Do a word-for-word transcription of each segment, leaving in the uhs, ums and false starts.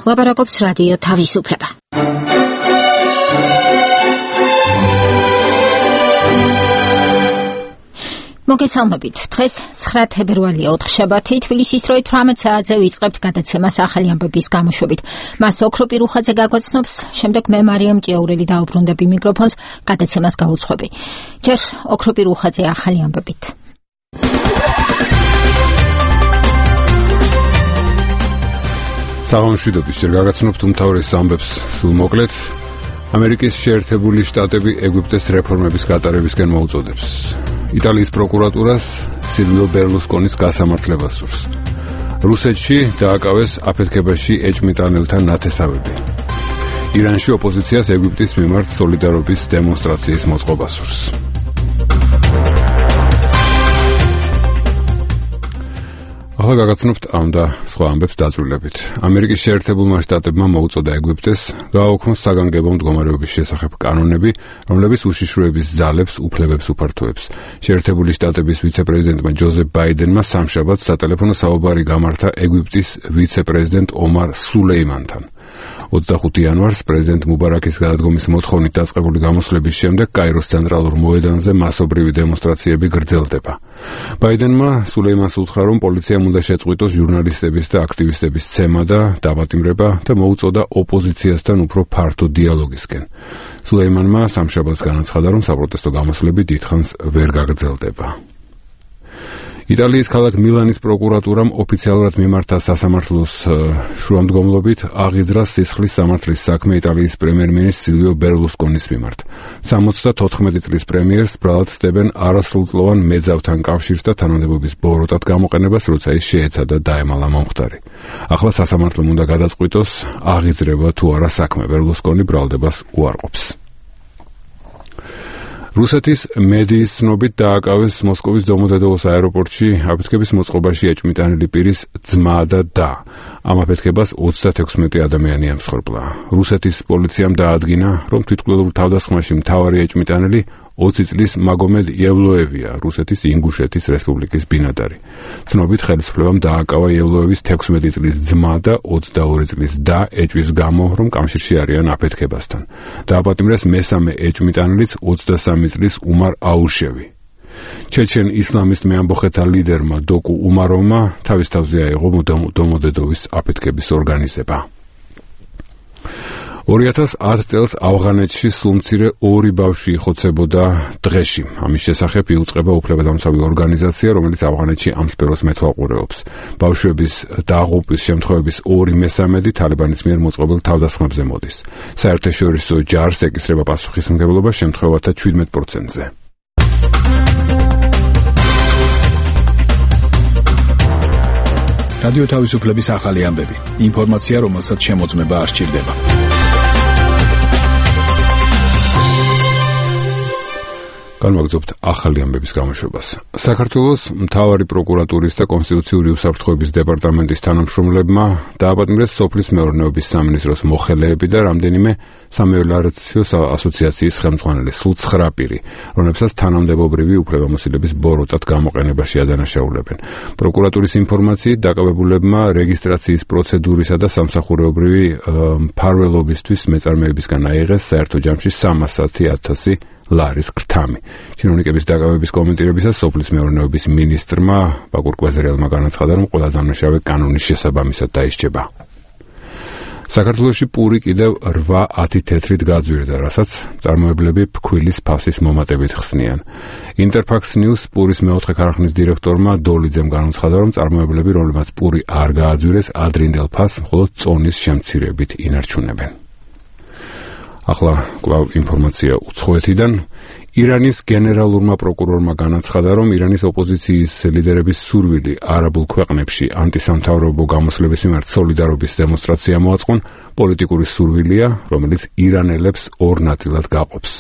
ლაპარაკობს რადიო თავისუფლება. მოგესალმებით. დღეს ცხრა თებერვალია, ოთხშაბათი, თბილისის დროით თვრამეტ საათზე ვიწყებთ გადაცემას ახალი ამბების გამოშვებით. მას ოქროპი რუხაძე გაგვაცნობს, შემდეგ მე მარიამ ჭიაურელი დაუბრუნდები მიკროფონს, გადაცემას გავუძღვები. ჯერ ოქროპი რუხაძე ახალი ამბებით. საღამოშვიდობის ჯერ გაგაცნობთ უმთავრეს ამბებს სულ მოკლედ. ამერიკის შეერთებული შტატები ეგვიპტეს რეფორმების გატარებისკენ მოუწოდებს. იტალიის პროკურატურას სილვიო ბერლუსკონის გასამართლება სურს. რუსეთში დააკავეს აფეთქებაში ეჭვმიტანელთა ნათესავები. ირანში ოპოზიციას ეგვიპტის მიმართ სოლიდარობის დემონსტრაციის მოწყობა სურს. ახლა გაგაცნობთ ამ და სხვა ამბებს დაწვრილებით. ამერიკის შეერთებულმა შტატებმა მოუწოდა ეგვიპტეს გააუქმოს საგანგებო მდგომარეობის შესახებ კანონები, რომლებიც უშიშროების ძალებს უფლებებს უფართოებს. შეერთებული შტატების ვიცე-პრეზიდენტმა ჯოზეფ ბაიდენმა სამშაბათს სატელეფონო საუბარი გამართა ეგვიპტის ვიცე-პრეზიდენტ ომარ სულეიმანთან. ოცდახუთი იანვარს პრეზიდენტ მუბარაკის გადადგომის მოთხოვნით დაწყებული გამოსვლების შემდეგ კაიროს ცენტრალურ მოედანზე მასობრივი დემონსტრაციები გრძელდება. ბაიდენმა სულეიმანს უთხრა, რომ პოლიციამ უნდა შეწყვიტოს ჟურნალისტების და აქტივისტების ცემა და დაპატიმრება და მოუწოდა ოპოზიციასთან უფრო ფართო დიალოგისკენ. სულეიმანმა სამშაბათს განაცხადა, რომ საპროტესტო გამოსვლები დიდხანს ვერ გაგრძელდება. იტალიის ქალაქ მილანის პროკურატურამ ოფიციალურად მიმართა სასამართლოს შუამდგომლობით აღიძრა სისხლის სამართლის საქმე იტალიის პრემიერ-მინისტრ სილვიო ბერლუსკონის მიმართ. სამოცდათოთხმეტი წლის პრემიერს ბრალად სდებენ არასრულწლოვან მეძავთან კავშირს და თანამდებობის ბოროტად გამოყენებას, როცა ის შეეცადა დაემალა მომხდარი. ახლა სასამართლომ უნდა გადაწყვიტოს, აღიძრება თუ არა საქმე. ბერლუსკონი ბრალდებას უარყოფს. რუსეთის მედიის ცნობით დააკავეს მოსკოვის დომოდედოვოს აეროპორტში აფეთქების მოწყობაში ეჭვმიტანილი პირის ძმა და და. ამ აფეთქებას ოცდათექვსმეტი ადამიანი ემსხვერპლა. რუსეთის პოლიციამ დაადგინა, რომ თვითმკვლელურ თავდასხმაში მთავარი ეჭვმიტანილი ოცი წლის მაგომედ იევლოევია, რუსეთის ინგუშეთის რესპუბლიკის ბინადარი. ცნობით ხელისუფლებამ დააკავა იევლოევის თექვსმეტი წლის ძმა და ოცდაორი წლის და ეჭვის გამო, რომ კავშირში არიან აფეთქებასთან. დააპატიმრეს მესამე ეჭვმიტანილიც ოცდასამი წლის უმარ აუშევი. ჩეჩენ ისლამისტ მეამბოხეთა ლიდერმა დოკუ უმაროვმა თავის თავზე აიღო დომოდედოვის აფეთქების ორგანიზება. ორი ათას ათ წელს ავღანეთში სულ მცირე ორი ბავშვი იხოცებოდა დღეში. ამის შესახებ იუწყება უფლებადამცავი ორგანიზაცია, რომელიც ავღანეთში ამ სფეროს მეთვალყურეობს. ბავშვების დაღუპვის შემთხვევების ორი მესამედი თალიბანის მიერ მოწყობილ თავდასხმებზე მოდის. საერთაშორისო ჯარს ეკისრება პასუხისმგებლობა შემთხვევათა შვიდმეტ პროცენტზე. რადიო თავისუფლების ახალი ამბები. ინფორმაცია, რომელსაც შემოწმება არ სჭირდება. განვაგრძობთ ახალი ამბების გამოშვებას. საქართველოს მთავარი პროკურატურის და კონსტიტუციური უსაფრთხოების დეპარტამენტის თანამშრომლებმა დააპატიმრეს სოფლის მეურნეობის სამინისტროს მოხელეები და რამდენიმე სამეურნეო ასოციაციის ხელმძღვანელი, სულ ცხრა პირი, რომლებსაც თანამდებობრივი უფლებამოსილების ბოროტად გამოყენებაში ადანაშაულებენ. პროკურატურის ინფორმაციით დაკავებულებმა რეგისტრაციის პროცედურისა და სამსახურეობრივი მფარველობისთვის მეწარმეებისგან აიღეს საერთო ჯამში სამასი ათასი ლარის ქრთამი. ჩინოვნიკების დაკავების კომენტირებისას სოფლის მეურნეობის მინისტრმა ბაკურ კვეზრიელმა განაცხადა, რომ ყველა დამნაშავე კანონის შესაბამისად დაისჯება. საქართველოში პური კიდევ რვა ათი თეთრით გაძვირდა, რასაც წარმოებლები ფქვილის ფასის მომატებით ხსნიან. ინტერფაქს ნიუს პურის მეოთხე ქარხნის დირექტორმა დოლიძემ განაცხადა, რომ წარმოებლები, რომლებმაც პური არ გააძვირეს, ადრინდელ ფასს მხოლოდ წონის შემცირებით ინარჩუნებენ. ახლა კვლავ ინფორმაცია უცხოეთიდან. ირანის გენერალურმა პროკურორმა განაცხადა, რომ ირანის ოპოზიციის ლიდერების სურვილი არაბულ ქვეყნებში ანტისამთავრობო გამოსვლების მიმართ სოლიდარობის დემონსტრაცია მოაწყონ პოლიტიკური სურვილია, რომელიც ირანელებს ორ ნაწილად გაყოფს.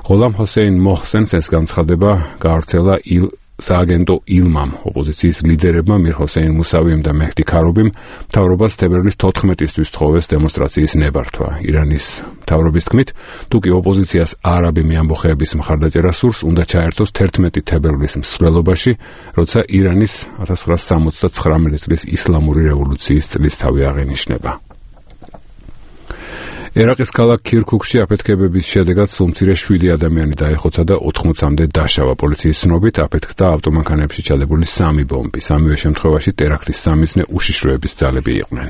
ღოლამ ჰოსეინ მოჰსენს ეს განცხადება გაავრცელა ილ სააგენტო ილმამ ოპოზიციის ლიდერებმა მირ ჰოსეინ მუსავიმ და მეჰდი ქარობიმ მთავრობას თებერვლის თოთხმეტისთვის თხოვეს დემონსტრაციის ნებართვა. ირანის მთავრობის თქმით, თუკი ოპოზიციას არაბი მეამბოხეების მხარდაჭერა სურს, უნდა ჩაერთოს თერთმეტი თებერვლის მსვლელობაში, როცა ირანის ათას ცხრაასი სამოცდათვრამეტი წლის ისლამური რევოლუციის წლისთავი აღინიშნება. ერაყის ქალაქ ქირქუქში აფეთქებების შედეგად სულ მცირე შვიდი ადამიანი დაიხოცა და ოთხმოცამდე დაშავა. პოლიციის ცნობით აფეთქდა ავტომანქანებში ჩადებული სამი ბომბი. სამივე შემთხვევაში ტერაქტის სამიზნე უშიშროების ძალები იყვნენ.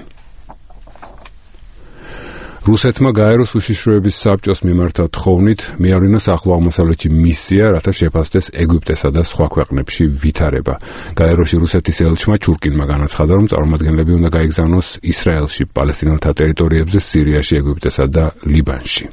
რუსეთმა გაეროს უშიშროების საბჭოს მიმართა თხოვნით მიავლინოს ახლო აღმოსავლეთში მისია, რათა შეფასდეს ეგვიპტესა და სხვა ქვეყნებში ვითარება. გაეროში რუსეთის ელჩმა ჩურკინმა განაცხადა, რომ წარმომადგენლები უნდა გაიგზავნოს ისრაელში, პალესტინელთა ტერიტორიებზე, სირიაში, ეგვიპტესა და ლიბანში.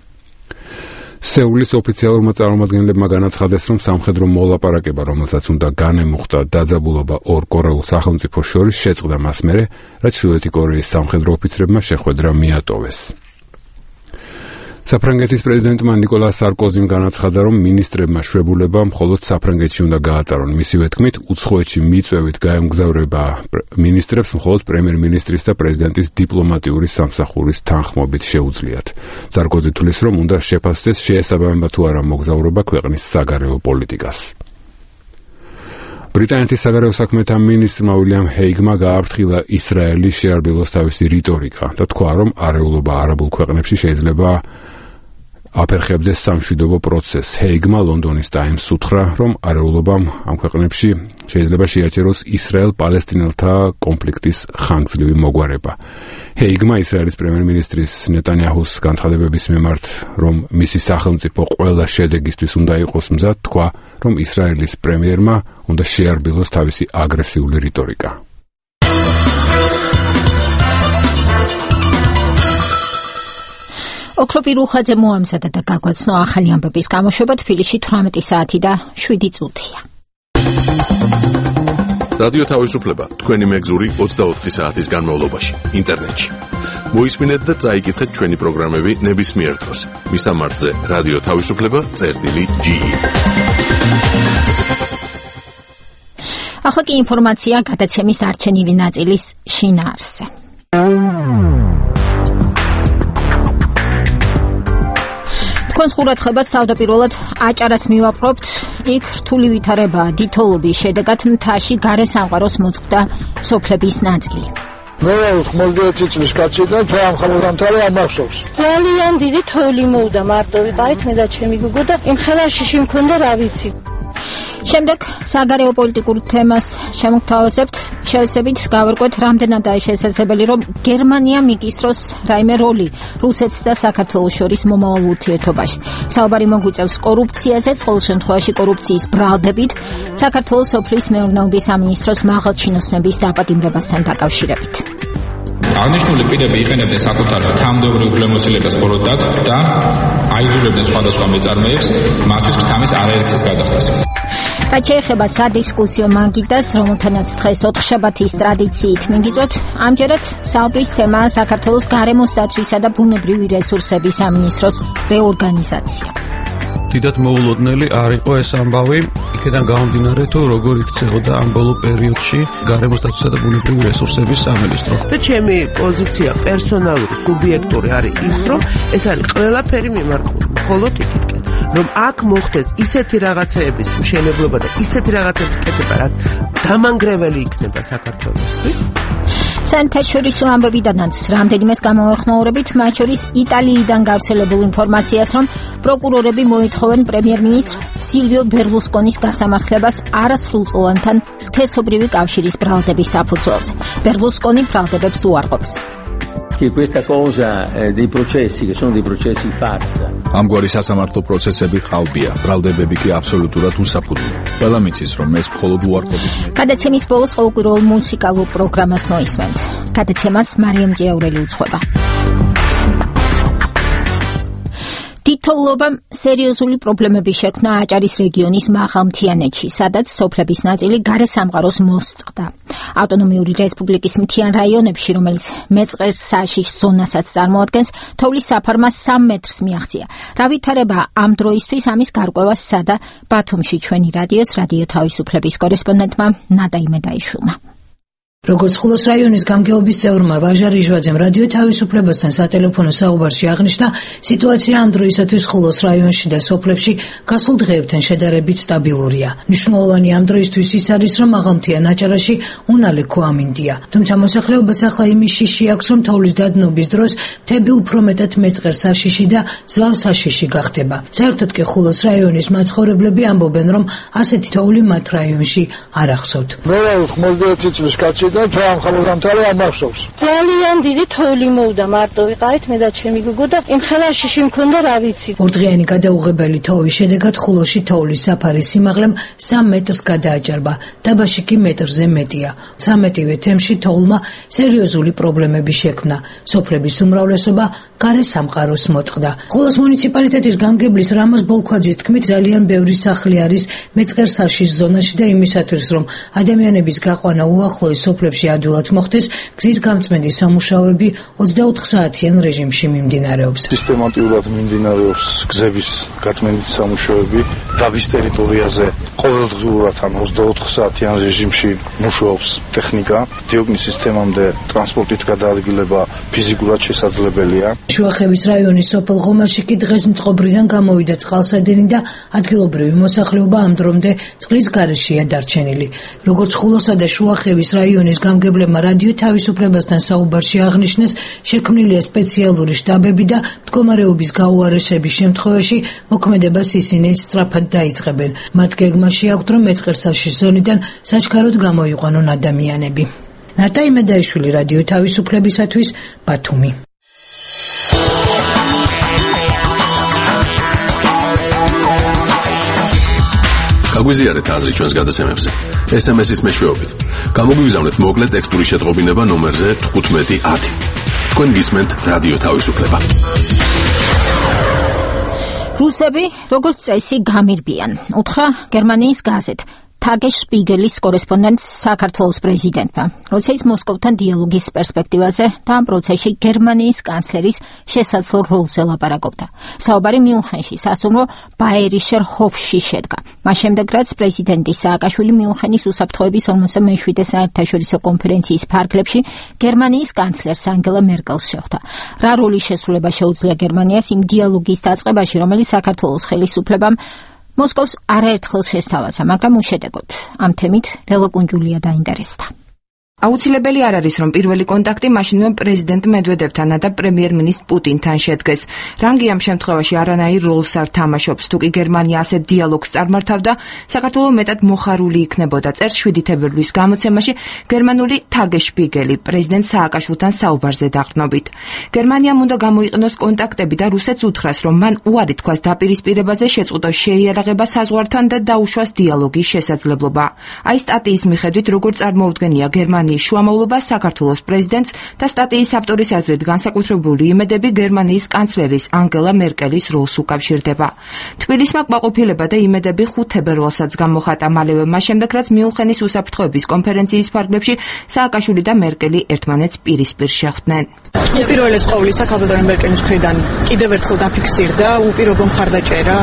სეულის ოფიციალურმა წარმომადგენლებმა განაცხადეს, რომ სამხედრო მოლაპარაკება, რომელსაც უნდა განემუხტა დაძაბულობა ორ კორეულ სახელმწიფოს შორის, შეწყდა მას მერე, რაც ჩრდილოეთი კორეის სამხედრო ოფიცრებმა შეხვედრა მიატოვეს. საფრანგეთის პრეზიდენტმა ნიკოლას სარკოზიმ განაცხადა, რომ მინისტრებმა შვებულება მხოლოდ საფრანგეთში უნდა გაატარონ. მისივე თქმით, უცხოეთში მიწვევით გაემგზავრება მინისტრებს მხოლოდ პრემიერ-მინისტრის და პრეზიდენტის დიპლომატიური სამსახურის თანხმობით შეუძლიათ. სარკოზი თვლის, რომ უნდა შეფასდეს, შეესაბამება თუ არა მოგზაურობა ქვეყნის საგარეო პოლიტიკას. ბრიტანეთის საგარეო საქმეთა მინისტრმა უილიამ ჰეიგმა გააფრთხილა ისრაელის შეარბილოს თავისი რიტორიკა და თქვა, რომ არეულობა არაბულ ქვეყნებში შეიძლება აფერხებდეს სამშვიდობო პროცესს. ჰეიგმა ლონდონის ტაიმსს უთხრა, რომ არეულობამ ამ ქვეყნებში შეიძლება შეაჩეროს ისრაელ-პალესტინელთა კონფლიქტის ხანგრძლივი მოგვარება. ჰეიგმა ისრაელის პრემიერ-მინისტრის ნეტანიაჰუს განცხადებების მიმართ, რომ მისი სახელმწიფო ყველა შედეგისთვის უნდა იყოს მზად, თქვა, რომ ისრაელის პრემიერმა უნდა შეარბილოს თავისი აგრესიული რიტორიკა. ოქროპი რუხაძე მოამზადა და გაგვაცნო ახალი ამბების გამოშვება თბილისში თვრამეტი საათი და შვიდი წუთია. რადიო თავისუფლება თქვენი მეგზური ოცდაოთხი საათის განმავლობაში ინტერნეტში. მოისმინეთ და წაიკითხეთ ჩვენი პროგრამები ნებისმიერ დროს. მისამართზე რადიო თავისუფლება წერტილი ჯი ი. ახლა კი ინფორმაცია გადაცემის არჩენილი ნაწილის შინაარსზე. თქვენს ყურადღებას თავდაპირველად აჭარას მივაპყრობთ. იქ რთული ვითარებაა დიდთოვლობის შედეგად მთაში გარე სამყაროს მოწყდა სოფლების ნაწილი. მე ხმელდეცი წლის კაციდან თვამ ხალხამდე ამახსოვს. ძალიან დიდი თოვლი მოვდა მარტო ვიყავით მე და ჩემი გოგო და იმ ხელაშიში მქონდა რა ვიცი. შემდეგ საგარეო პოლიტიკურ თემას შემოგთავაზებთ. შევეცდებით გავერკვეთ, რამდენადაა შესაძლებელი, რომ გერმანია მიკისროს რაიმე როლი რუსეთს და საქართველოს შორის მომავალ ურთიერთობაში. საუბარი მოგვიწევს კორუფციაზე, ყოველ შემთხვევაში კორუფციის ბრალდებით, საქართველოს სოფლის მეურნეობის სამინისტროს მაღალჩინოსნების დაპატიმრებასთან დაკავშირებით. აღნიშნული პირები იყენებდნენ საკუთარ თანამდებობრივ უფლებამოსილებას ხოროდად და აიძულებდნენ სხვადასხვა მეწარმეებს მათთვის ქრთამის არაერთის გადახდას. რაც შეეხება სადისკუსიო მაგიდას, რომელთანაც დღეს ოთხშაბათის ტრადიციით მიგიწვევთ, ამჯერად საუბრის თემაა საქართველოს გარემოს დაცვისა და ბუნებრივი რესურსების სამინისტროს რეორგანიზაცია. დიდად მოულოდნელი არ იყო ეს ამბავი, იქიდან გამომდინარე თუ როგორ იქცეოდა ამ ბოლო პერიოდში გარემოს დაცვისა და ბუნებრივი რესურსების სამინისტრო. და ჩემი პოზიცია პერსონალური, სუბიექტური არის ის, რომ ეს არის ყველაფერი მიმართული მხოლოდ იქითკენ, რომ აქ მოხდეს ისეთი რაღაცეების მშენებლობა და ისეთი რაღაცების კეთება, რაც დამანგრეველი იქნება საქართველოსთვის. საერთაშორისო ამბებიდანაც რამდენიმეს გამოვეხმაურებით, მათ შორის იტალიიდან გავრცელებულ ინფორმაციას, რომ პროკურორები მოითხოვენ პრემიერ-მინისტრ სილვიო ბერლუსკონის გასამართლებას არასრულწლოვანთან სქესობრივი კავშირის ბრალდების საფუძველზე. ბერლუსკონი ბრალდებებს უარყოფს. ამგვარი სასამართლო პროცესები ხალბია, ბრალდებები კი აბსოლუტურად უსაფუძვლოა. ყველა მიცის, რომ ეს მხოლოდ უარყოფით. გადაცემის ბოლოს ყოველკვირეულ მუსიკალურ პროგრამას მოისმენთ. გადაცემას მარიამ ჭიაურელი უძღვება. დიდთოვლობამ სერიოზული პრობლემები შექმნა აჭარის რეგიონის მაღალმთიანეთში, სადაც სოფლების ნაწილი გარე სამყაროს მოსწყდა. ავტონომიური რესპუბლიკის მთიან რაიონებში, რომელიც მეწყერსაშის ზონასაც წარმოადგენს, თოვლის საფარმა სამ მეტრს მიაღწია. რა ვითარება ამ დროისთვის, ამის გარკვევა სადა ბათუმში ჩვენი რადიოს რადიო თავისუფლების კორესპონდენტმა ნადა იმედაიშვილმა. როგორც ხულოს რაიონის გამგეობის წევრმა ვაჟა რიჟვაძემ რადიო თავისუფლებასთან სატელეფონო საუბარში აღნიშნა, სიტუაცია ამ დროისათვის ხულოს რაიონში და სოფლებში გასულ დღეებთან შედარებით სტაბილურია. მნიშვნელოვანი ამ დროისთვის ის არის, რომ აღამთია ნაჭარაში უნალექო ამინდია. თუმცა მოსახლეობას ახლა იმის შიში აქვს, რომ თოვლის დადნობის დროს მთები უფრო მეტად მეწყერ საშიში და ზვავ საშიში გახდება. საერთოდ კი ხულოს რაიონის მაცხოვრებლები ამბობენ, რომ ასეთი თოვლი მათ რაიონში არ ახსოვთ. მე ხმელდეთი წლის კაცი და ამ ხალხამდე ამახსოვს. ძალიან დიდი თოვლი მოვდა მარტო ვიყავით მე და ჩემი გოგო და იმ ხელაშიში მქონდა რა ვიცი. ორდღიანი გადაუღებელი თოვის შედეგად ხულოში თოვლის საფარის სიმაღლემ სამ მეტრს გადააჭარბა, დაბაში კი მეტრზე მეტია. სამეტივე თემში თოვლმა სერიოზული პრობლემები შექმნა. სოფლების უმრავლესობა გარე სამყაროს მოწყდა. ხულოს მუნიციპალიტეტის გამგებლის რამოს ბოლქვაძის თქმით, ძალიან ბევრი სახლი არის მეწყერ საშიშ ზონაში და იმისათვის, რომ ადამიანების გაყვანა უახლოეს სოფლებში ადვილად მოხდეს, გზის გამწმენდი სამუშაოები ოცდაოთხ საათიან რეჟიმში მიმდინარეობს. სისტემატურად მიმდინარეობს გზების გაწმენდის სამუშაოები. დაბის ტერიტორიაზე ყოველდღიურად ან ოცდაოთხ საათიან რეჟიმში მუშაობს ტექნიკა. დიოგნის სისტემამდე ტრანსპორტით გადაადგილება ფიზიკურად შესაძლებელია. შუახევის რაიონის სოფელ ღომაში კი დღეს მწყობრიდან გამოვიდა წყალსადენი და ადგილობრივი მოსახლეობა ამ დრომდე წყლის გარეშეა დარჩენილი. როგორც ხულოსა და შუახევის რაიონის გამგებლებმა რადიო თავისუფლებასთან საუბარში აღნიშნეს, შექმნილია სპეციალური შტაბები და მდგომარეობის გაუარესების შემთხვევაში მოქმედებას ისინი სწრაფად დაიწყებენ. მათ გეგმაში აქვთ, რომ მეწყერ საშიშ ზონიდან საჩქაროდ გამოიყვანონ ადამიანები. ნატა იმედაიშვილი, რადიო თავისუფლებისათვის, ბათუმი. გაგვიზიარეთ აზრი ჩვენს გადაცემებზე. ეს ემ ეს-ის მეშვეობით. გამოგვიგზავნეთ მოკლე ტექსტური შეტყობინება ნომერზე თხუთმეტი ათი. თქვენ გისმენთ რადიო თავისუფლება. რუსები, როგორც წესი, გამირბიან. უთხრა გერმანიის გაზეთ Tagesspiegelis კორესპონდენტს საქართველოს პრეზიდენტმა, როცა ის მოსკოვთან დიალოგის პერსპექტივაზე და ამ პროცესში გერმანიის კანცლერის შესაძლო როლზე ლაპარაკობდა. საუბარი მიუნხენში სასტუმრო ბაიერიშერ ჰოფში შედგა. მას შემდეგ, რაც პრეზიდენტი სააკაშვილი მიუნხენის უსაფრთხოების ორმოცდა მეშვიდე საერთაშორისო კონფერენციის ფარგლებში გერმანიის კანცლერს ანგელა მერკელს შეხვდა. რა როლი შესრულება შეუძლია გერმანიას იმ დიალოგის დაწყებაში, რომელიც საქართველოს ხელისუფლებამ მოსკოვს არაერთხელ შესთავაზა, მაგრამ უშედეგოდ. ამ თემით ლელო კუნჯულია დაინტერესდა. აუცილებელი არ არის, რომ პირველი კონტაქტი მაშინვე პრეზიდენტ მედვედევთან და პრემიერ-მინისტრ პუტინთან შედგეს. რანგი ამ შემთხვევაში არანაირ როლს არ თამაშობს. თუ კი გერმანია ასეთ დიალოგს წარმართავდა, საქართველო მეტად მოხარული იქნებოდა. წერს შვიდი თებერვლის გამოცემაში გერმანული Tagesspiegel პრეზიდენტ სააკაშვილთან საუბარზე დაყრდნობით. გერმანიამ უნდა გამოიყენოს კონტაქტები და რუსეთს უთხრას, რომ მან უარი თქვას დაპირისპირებაზე, შეწყვიტოს შეიარაღება საზღვართან და დაუშვას დიალოგის შესაძლებლობა. აი სტატიის მიხედვით, როგორც წარმოუდგენია გერმანია შუამავლობა საქართველოს პრეზიდენტს და სტატიის ავტორის აზრით განსაკუთრებული იმედები გერმანიის კანცლერის ანგელა მერკელის როლს უკავშირდება. თბილისმა კმაყოფილება და იმედები ხუთ თებერვალსაც გამოხატა მალევე მას შემდეგ, რაც მიუნხენის უსაფრთხოების კონფერენციის ფარგლებში სააკაშვილი და მერკელი ერთმანეთს პირისპირ შეხვდნენ. უპირველეს ყოვლისა ქალბატონი მერკელის მხრიდან კიდევ ერთხელ დაფიქსირდა უპირობო მხარდაჭერა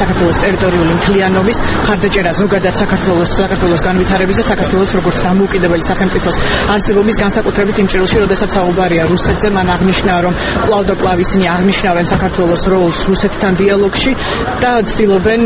საქართველოს ტერიტორიული მთლიანობის მხარდაჭერა ზოგადად საქართველოს საქართველოს განვითარების და საქართველოს როგორც დამოუკიდებელი სახელმწიფოს არსებობის განსაკუთრებით იმ ჭრილში, როდესაც საუბარია რუსეთზე, მან აღნიშნა, რომ კვლავ და კვლავ ისინი აღნიშნავენ საქართველოს როლს რუსეთთან დიალოგში და ცდილობენ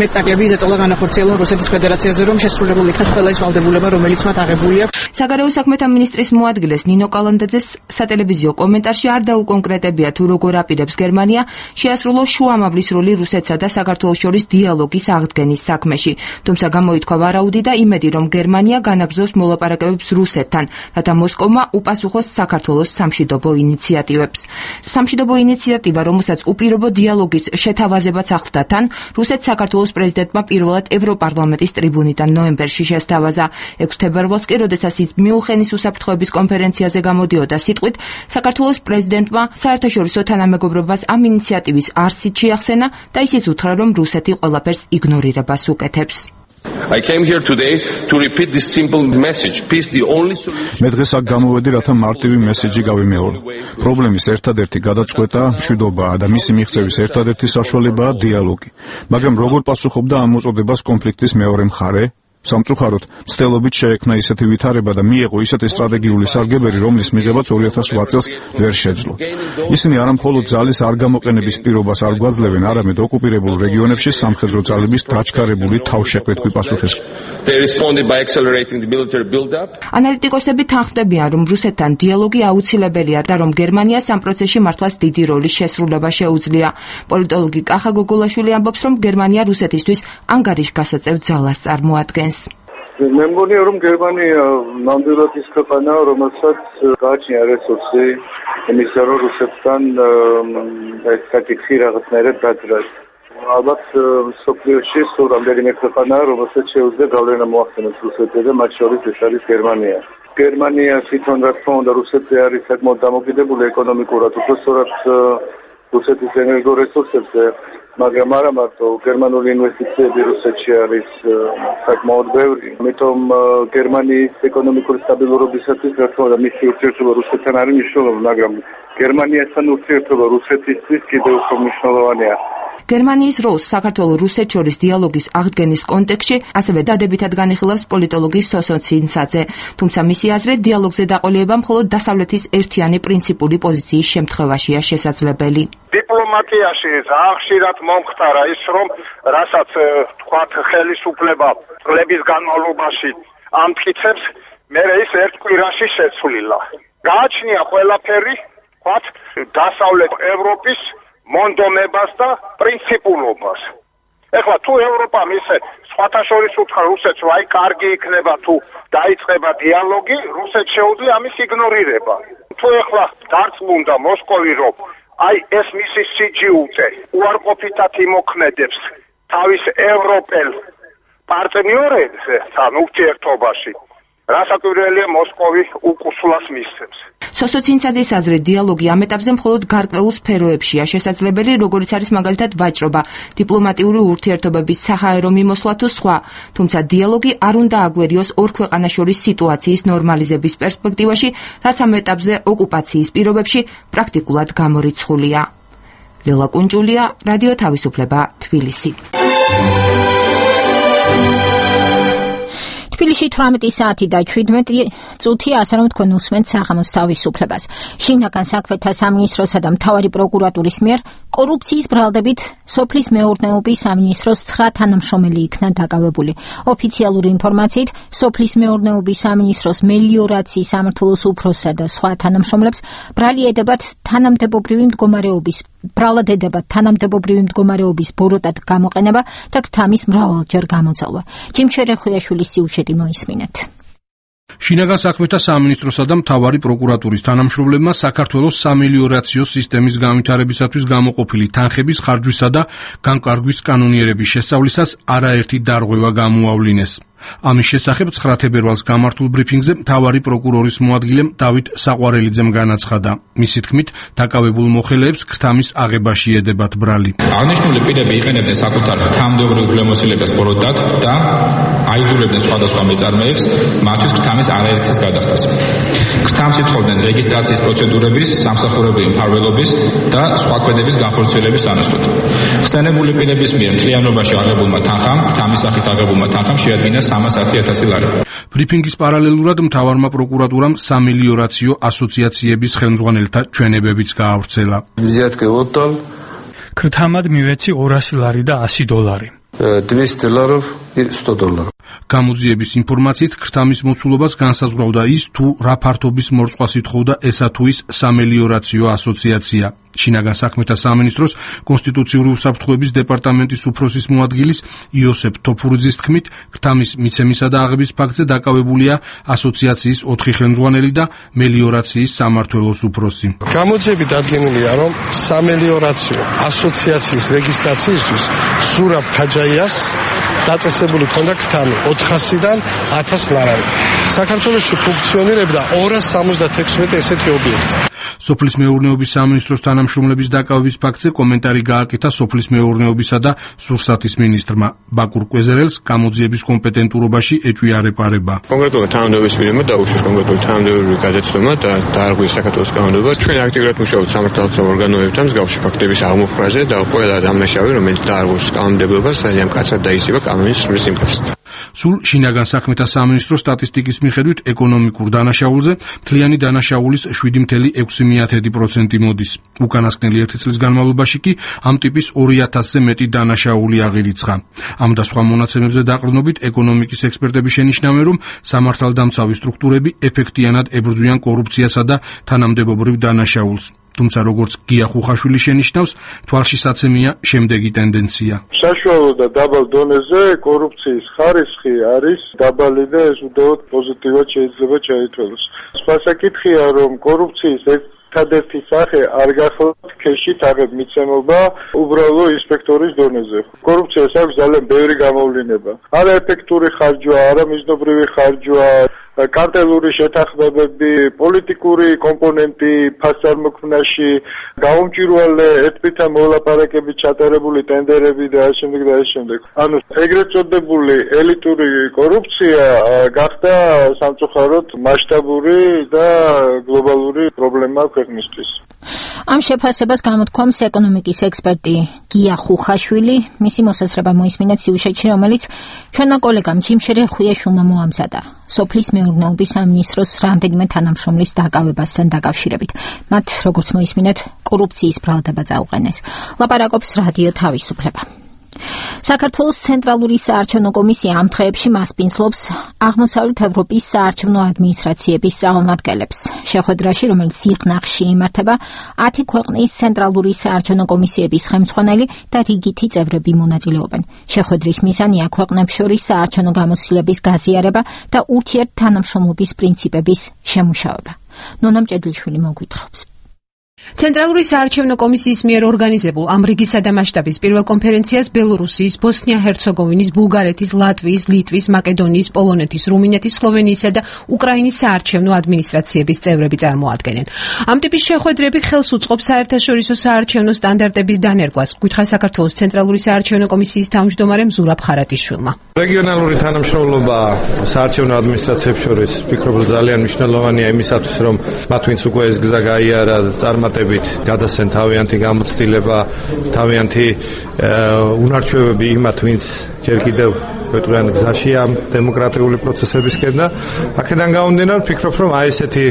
მეტნაკლები ზეწოლა განახორციელონ რუსეთის ფედერაციაზე, რომ შესრულებული იქნას ყველა ის ვალდებულება, რომელიც მათ აღებული აქვს. საგარეო საქმეთა მინისტრის მოადგილეს ნინო კალანდაძეს სატელევიზიო კომენტარში არ დაუკონკრეტებია, თუ როგორ აპირებს გერმანია შეასრულოს შუამავლის როლი რუსეთსა და საქართველოს შორის დიალოგის აღდგენის საქმეში. თუმცა გამოითქვა ვარაუდი და იმედი, რომ გერმანია განაგზავს მოლაპარაკებებს რუსეთთან, რათა მოსკოვმა უპასუხოს საქართველოს სამშვიდობო ინიციატივებს. სამშვიდობო ინიციატივა, რომელსაც უპირობო დიალოგის შეთავაზებაც ახლდა თან, რუსეთს საქართველოს პრეზიდენტმა პირველად ევროპარლამენტის ტრიბუნიდან ნოემბერში შესთავაზა. ექვსი თებერვალს კი, როდესაც ის მიუნხენის უსაფრთხოების კონფერენციაზე გამოდიოდა სიტყვით, საქართველოს პრეზიდენტმა საერთაშორისო თანამეგობრობას ამ ინიციატივის არსით შეახსენა და ისიც უთხრა, რომ რუსეთი ყველაფერს იგნორირებას უკეთებს. I came here today to repeat this simple message. Peace the only solution. მე დღეს აქ გამოვედი, რათა მარტივი მესეჯი გავიმეორო. პრობლემის ერთადერთი გადაწყვეტა მშვიდობაა და მისი მიღწევის ერთადერთი საშუალებაა დიალოგი. მაგრამ როგორ პასუხობდა ამ მოწოდებას კონფლიქტის მეორე მხარე? სამწუხაროდ, მცდელობით შეექმნა ისეთი ვითარება და მიეღო ისეთი სტრატეგიული სარგებელი, რომლის მიღებაც ორი ათას ოთხ წელს ვერ შეძლო. ისინი არა მხოლოდ ძალის არ გამოყენების პირობას არ გვაძლევენ, არამედ ოკუპირებულ რეგიონებში სამხედრო ძალების დაჩქარებული თავშეყრით გვიპასუხეს. ანალიტიკოსები თანხმდებიან, რომ რუსეთთან დიალოგი აუცილებელია და რომ გერმანიას ამ პროცესში მართლაც დიდი როლის შესრულება შეუძლია. პოლიტოლოგი კახა გოგოლაშვილი ამბობს, რომ გერმანია რუსეთისთვის ანგარიშგასაწევ ძალას წარმოადგენს. მე მგონია, რომ გერმანია ნამდვილად ის ქვეყანაა, რომელსაც გააჩნია რესურსი იმისა, რომ რუსეთთან ეს საკითხი რაღაცნაირად დაძრას. ალბათ სოფლიოში სულ რამდენიმე ქვეყანაა, რომელსაც შეუძლია გავლენა მოახდინოს რუსეთზე და მათ შორის ეს არის გერმანია. გერმანია თვითონ რა თქმა უნდა რუსეთზე არის საკმაოდ დამოკიდებული ეკონომიკურად, უბრალოდ რუსეთის ენერგორესურსებზე, მაგრამ არა მარტო გერმანული ინვესტიციები რუსეთში არის საკმაოდ ბევრი. ამიტომ გერმანიის ეკონომიკური სტაბილურობისათვის რა თქმა უნდა მისი ურთიერთობა რუსეთთან არის მნიშვნელოვანი, მაგრამ გერმანიასთან ურთიერთობა რუსეთისთვის კიდევ უფრო მნიშვნელოვანია. გერმანიის როლს საქართველოს რუსეთს შორის დიალოგის აღდგენის კონტექსტში ასევე დადებითად განიხილავს პოლიტოლოგი სოსო ცინცაძე, თუმცა მისი აზრით დიალოგზე დაყოლება მხოლოდ დასავლეთის ერთიანი პრინციპული პოზიციის შემთხვევაშია შესაძლებელი. დიპლომატიაში ძალიან ხშირად მომხდარა ის, რომ რასაც თქვათ ხელისუფლება წლების განმავლობაში ამტკიცებს, მერე ის ერთ კვირაში შეცვლილა. გააჩნია ყველაფერი, თქვათ დასავლეთ ევროპის მონდომებას და პრინციპულობას. ეხლა თუ ევროპამ ისე სხვათა შორის უთხრა რუსეთს, რომ აი კარგი იქნება თუ დაიწყება დიალოგი, რუსეთს შეუძლია ამის იგნორირება. თუ ეხლა დარწმუნდა მოსკოვი, რომ აი ეს მისი სიჯიუწე უარყოფითად იმოქმედებს თავის ევროპელ პარტნიორებთან ურთიერთობაში, რასაკვირველია მოსკოვი უკუსლას მისცემს. სოსო ცინცაძის აზრით დიალოგი ამ ეტაპზე მხოლოდ გარკვეულ სფეროებშია შესაძლებელი, როგორიც არის მაგალითად ვაჭრობა, დიპლომატიური ურთიერთობების საჰაერო მიმოსვლა თუ სხვა, თუმცა დიალოგი არ უნდა აგვერიოს ორ ქვეყანას შორის სიტუაციის ნორმალიზების პერსპექტივაში, რაც ამ ეტაპზე ოკუპაციის პირობებში პრაქტიკულად გამორიცხულია. ლელა კუნჭულია, რადიო თავისუფლება, თბილისი. თბილისში თვრამეტი საათი და შვიდმეტი წუთი, ასე რომ თქვენ უსმენთ საღამოს თავისუფლებას. შინაგან საქმეთა სამინისტროსა და მთავარი პროკურატურის მიერ კორუფციის ბრალდებით სოფლის მეურნეობის სამინისტროს ცხრა თანამშრომელი იქნა დაკავებული. ოფიციალური ინფორმაციით, სოფლის მეურნეობის სამინისტროს მელიორაციის სამმართველოს უფროსსა და სხვა თანამშრომლებს ბრალი ედებათ თანამდებობრივი მდგომარეობის ბრალად ედებათ თანამდებობრივი მდგომარეობის ბოროტად გამოყენება და გთამის მრავალჯერ გამოძალვა. ჯიმშერე ხუიაშვილის სიუჟეტი მოისმინეთ. შინაგან საქმეთა სამინისტროსა და მთავარი პროკურატურის თანამშრომლებმა საქართველოს სამელიორაციო სისტემის განვითარებისათვის გამოყოფილი თანხების ხარჯვისა და განკარგვის კანონიერების შესწავლისას არაერთი დარღვევა გამოავლინეს. ამის შესახებ ცხრა თებერვალს გამართულ ბრიფინგზე მთავარი პროკურორის მოადგილე დავით საყვარელიძემ განაცხადა. მისი თქმით, დაკავებულ მოხელეებს გრთამის აღებაში ედებათ ბრალი. აღნიშნული პირები იყენებდნენ საკუთარ თანამდებობრივ უფლებამოსილებას ბოროტად და აიძულებდნენ სხვადასხვა მეწარმეებს მათთვის გრთამის არაერთის გადახდას. გრთამს ითხოვდნენ რეგისტრაციის პროცედურების, სამსახურებრივი მფარველობის და სხვა კვედების განხორციელების სანაცვლოდ. ხსენებული პირების მიერ მთლიანობაში აღებულმა თანხამ, გრთამის სახით აღებულმა თანხამ შეადგინა სამას ათი ათასი ლარი. ბრიფინგის პარალელურად მთავარმა პროკურატურამ სამელიორაციო ასოციაციების ხელმძღვანელთა ჩვენებებიც გაავრცელა. გრთამად მივეცი ორასი ლარი და ასი დოლარი. двести ларов и сто долларов. გამოძიების ინფორმაციით გრთამის მოცულობას განსაზღვრავდა ის, თუ რა ფართობის მორწყვას ითხოვდა ესა თუ ის სამელიორაციო ასოციაცია. შინაგან საქმეთა სამინისტროს კონსტიტუციური უსაფრთხოების დეპარტამენტის უფროსის მოადგილის იოსებ თოფურიძის თქმით, გრთამის მიცემისა და აღების ფაქტზე დაკავებულია ასოციაციის ოთხი ხელმძღვანელი და მელიორაციის სამმართველოს უფროსი. გამოძიები დადგენილია, რომ სამელიორაციო ასოციაციის რეგისტრაციისთვის ზურაბ ქაჯაიას დაწესებული ქონდა გრთამი ოთხასიდან ათას ლარამდე. საქართველოში ფუნქციონირებდა ორას სამოცდათექვსმეტი ესეთი ობიექტი. სოფლის მეურნეობის სამინისტროს თანამშრომლების დაკავების ფაქტზე კომენტარი გააკეთა სოფლის მეურნეობისა და სურსათის მინისტრმა. ბაკურ კვეზერელს გამოძიების კომპეტენტურობაში ეჭვია რეპარება. კონკრეტულად თანამდებობის პირებმა დაუშვეს კონკრეტული თანამდებობრივი გადაცემა და დაარღვიეს საქართველოს კანონმდებლობა. ჩვენ აქტიურად მუშაობთ სამართალდამცავ ორგანოებთან მსგავსი ფაქტების აღმოფხვრაზე და ყველა დამნაშავე, რომელიც დაარღვევს კანონმდებლობას, ძალიან მკაცრად დაისება კანონის სრულის სიმკაცრით. სულ შინაგან საქმეთა სამინისტროს სტატისტიკის მიხედვით ეკონომიკურ დანაშაულზე მთლიანი დანაშაულის შვიდი წელი ექვსი პროცენტი მოდის. უკანასკნელი ერთი წლის განმავლობაში კი ამ ტიპის ორი ათასზე მეტი დანაშაული აღირიცხა. ამ და სხვა მონაცემებზე დაყრდნობით ეკონომიკის ექსპერტები შენიშნავენ, რომ სამართალდამცავი სტრუქტურები ეფექტიანად ებრძვიან კორუფციასა და თანამდებობრივ დანაშაულს. თუმცა როგორც გია ხუხაშვილი შენიშნავს, თვალშისაცემია შემდეგი ტენდენცია. საშუალო და დაბალ დონეზე კორუფციის ხარისხი არის დაბალი და ეს უდავოდ პოზიტივად შეიძლება ჩაითვალოს. სხვა საკითხია, რომ კორუფციის ერთადერთი სახე არ გახლავთ ქეშით აღებ მიცემობა უბრალო ინსპექტორის დონეზე. კორუფციას აქვს ძალიან ბევრი გამოვლინება. არაეფექტური ხარჯვა, არამიზნობრივი ხარჯვა, კარტელური შეთანხმებები, პოლიტიკური კომპონენტი ფასწარმოქმნაში, გაუმჭვირვალე ერთბირთა მოლაპარაკებით ჩატარებული ტენდერები და ამ შემდეგ და ამ შემდეგ. ანუ ეგრეთ წოდებული ელიტური კორუფცია გახდა სამწუხაროდ მასშტაბური და გლობალური პრობლემა ქვეყნისთვის. ამ შეფასებას გამოთქვამს ეკონომიკის ექსპერტი გია ხუხაშვილი, მისი მოსაზრება მოისმინეთ სიუჟეტში, რომელიც ჩვენმა კოლეგამ ჯიმშერე ხვიაშვილმა მოამზადა. სოფლის მეურნეობის სამინისტროს რამდენიმე თანამშრომლის დაკავებასთან დაკავშირებით. მათ, როგორც მოისმინეთ, კორუფციის ბრალდება წაუყენეს. ლაპარაკობს რადიო თავისუფლება. საქართველოს ცენტრალური საარჩევნო კომისია ამ დღეებში მასპინძლობს აღმოსავლეთ ევროპის საარჩევნო ადმინისტრაციების წარმომადგენლებს. შეხვედრაში, რომელიც სიღნაღში იმართება, ათი ქვეყნის ცენტრალური საარჩევნო კომისიების ხელმძღვანელი და რიგითი წევრები მონაწილეობენ. შეხვედრის მიზანია ქვეყნებს შორის საარჩევნო გამოცდილების გაზიარება და ურთიერთთანამშრომლობის პრინციპების შემუშავება. ნონა მჭედლიშვილი მოგვითხრობს. ცენტრალური საარჩევნო კომისიის მიერ ორგანიზებულ ამ რიგისა და მასშტაბის პირველ კონფერენციას ბელორუსიის, ბოსნია-ჰერცეგოვინის, ბულგარეთის, ლატვიის, ლიტვის, მაკედონიის, პოლონეთის, რუმინეთის, სლოვენიისა და უკრაინის საარჩევნო ადმინისტრაციების წევრები წარმოადგენენ. ამ ტიპის შეხვედრები ხელს უწყობს საერთაშორისო საარჩევნო სტანდარტების დანერგვას, გითხრა საქართველოს ცენტრალური საარჩევნო კომისიის თავმჯდომარემ ზურაბ ხარატიშვილმა. რეგიონალური თანამშრომლობა საარჩევნო ადმინისტრაციებს შორის ვფიქრობ, რომ ძალიან მნიშვნელოვანია იმისათვის, რომ მათ ვინც უკვე ეს გზა გაიარა წარმატებით გადასცენ თავიანთი გამოცდილება, თავიანთი უნარჩვევები იმათ, ვინც ჯერ კიდევ ვეტყვიან გზაშია დემოკრატიული პროცესებისკენ და აქედან გამომდინარე ვფიქრობ, რომ აი ესეთი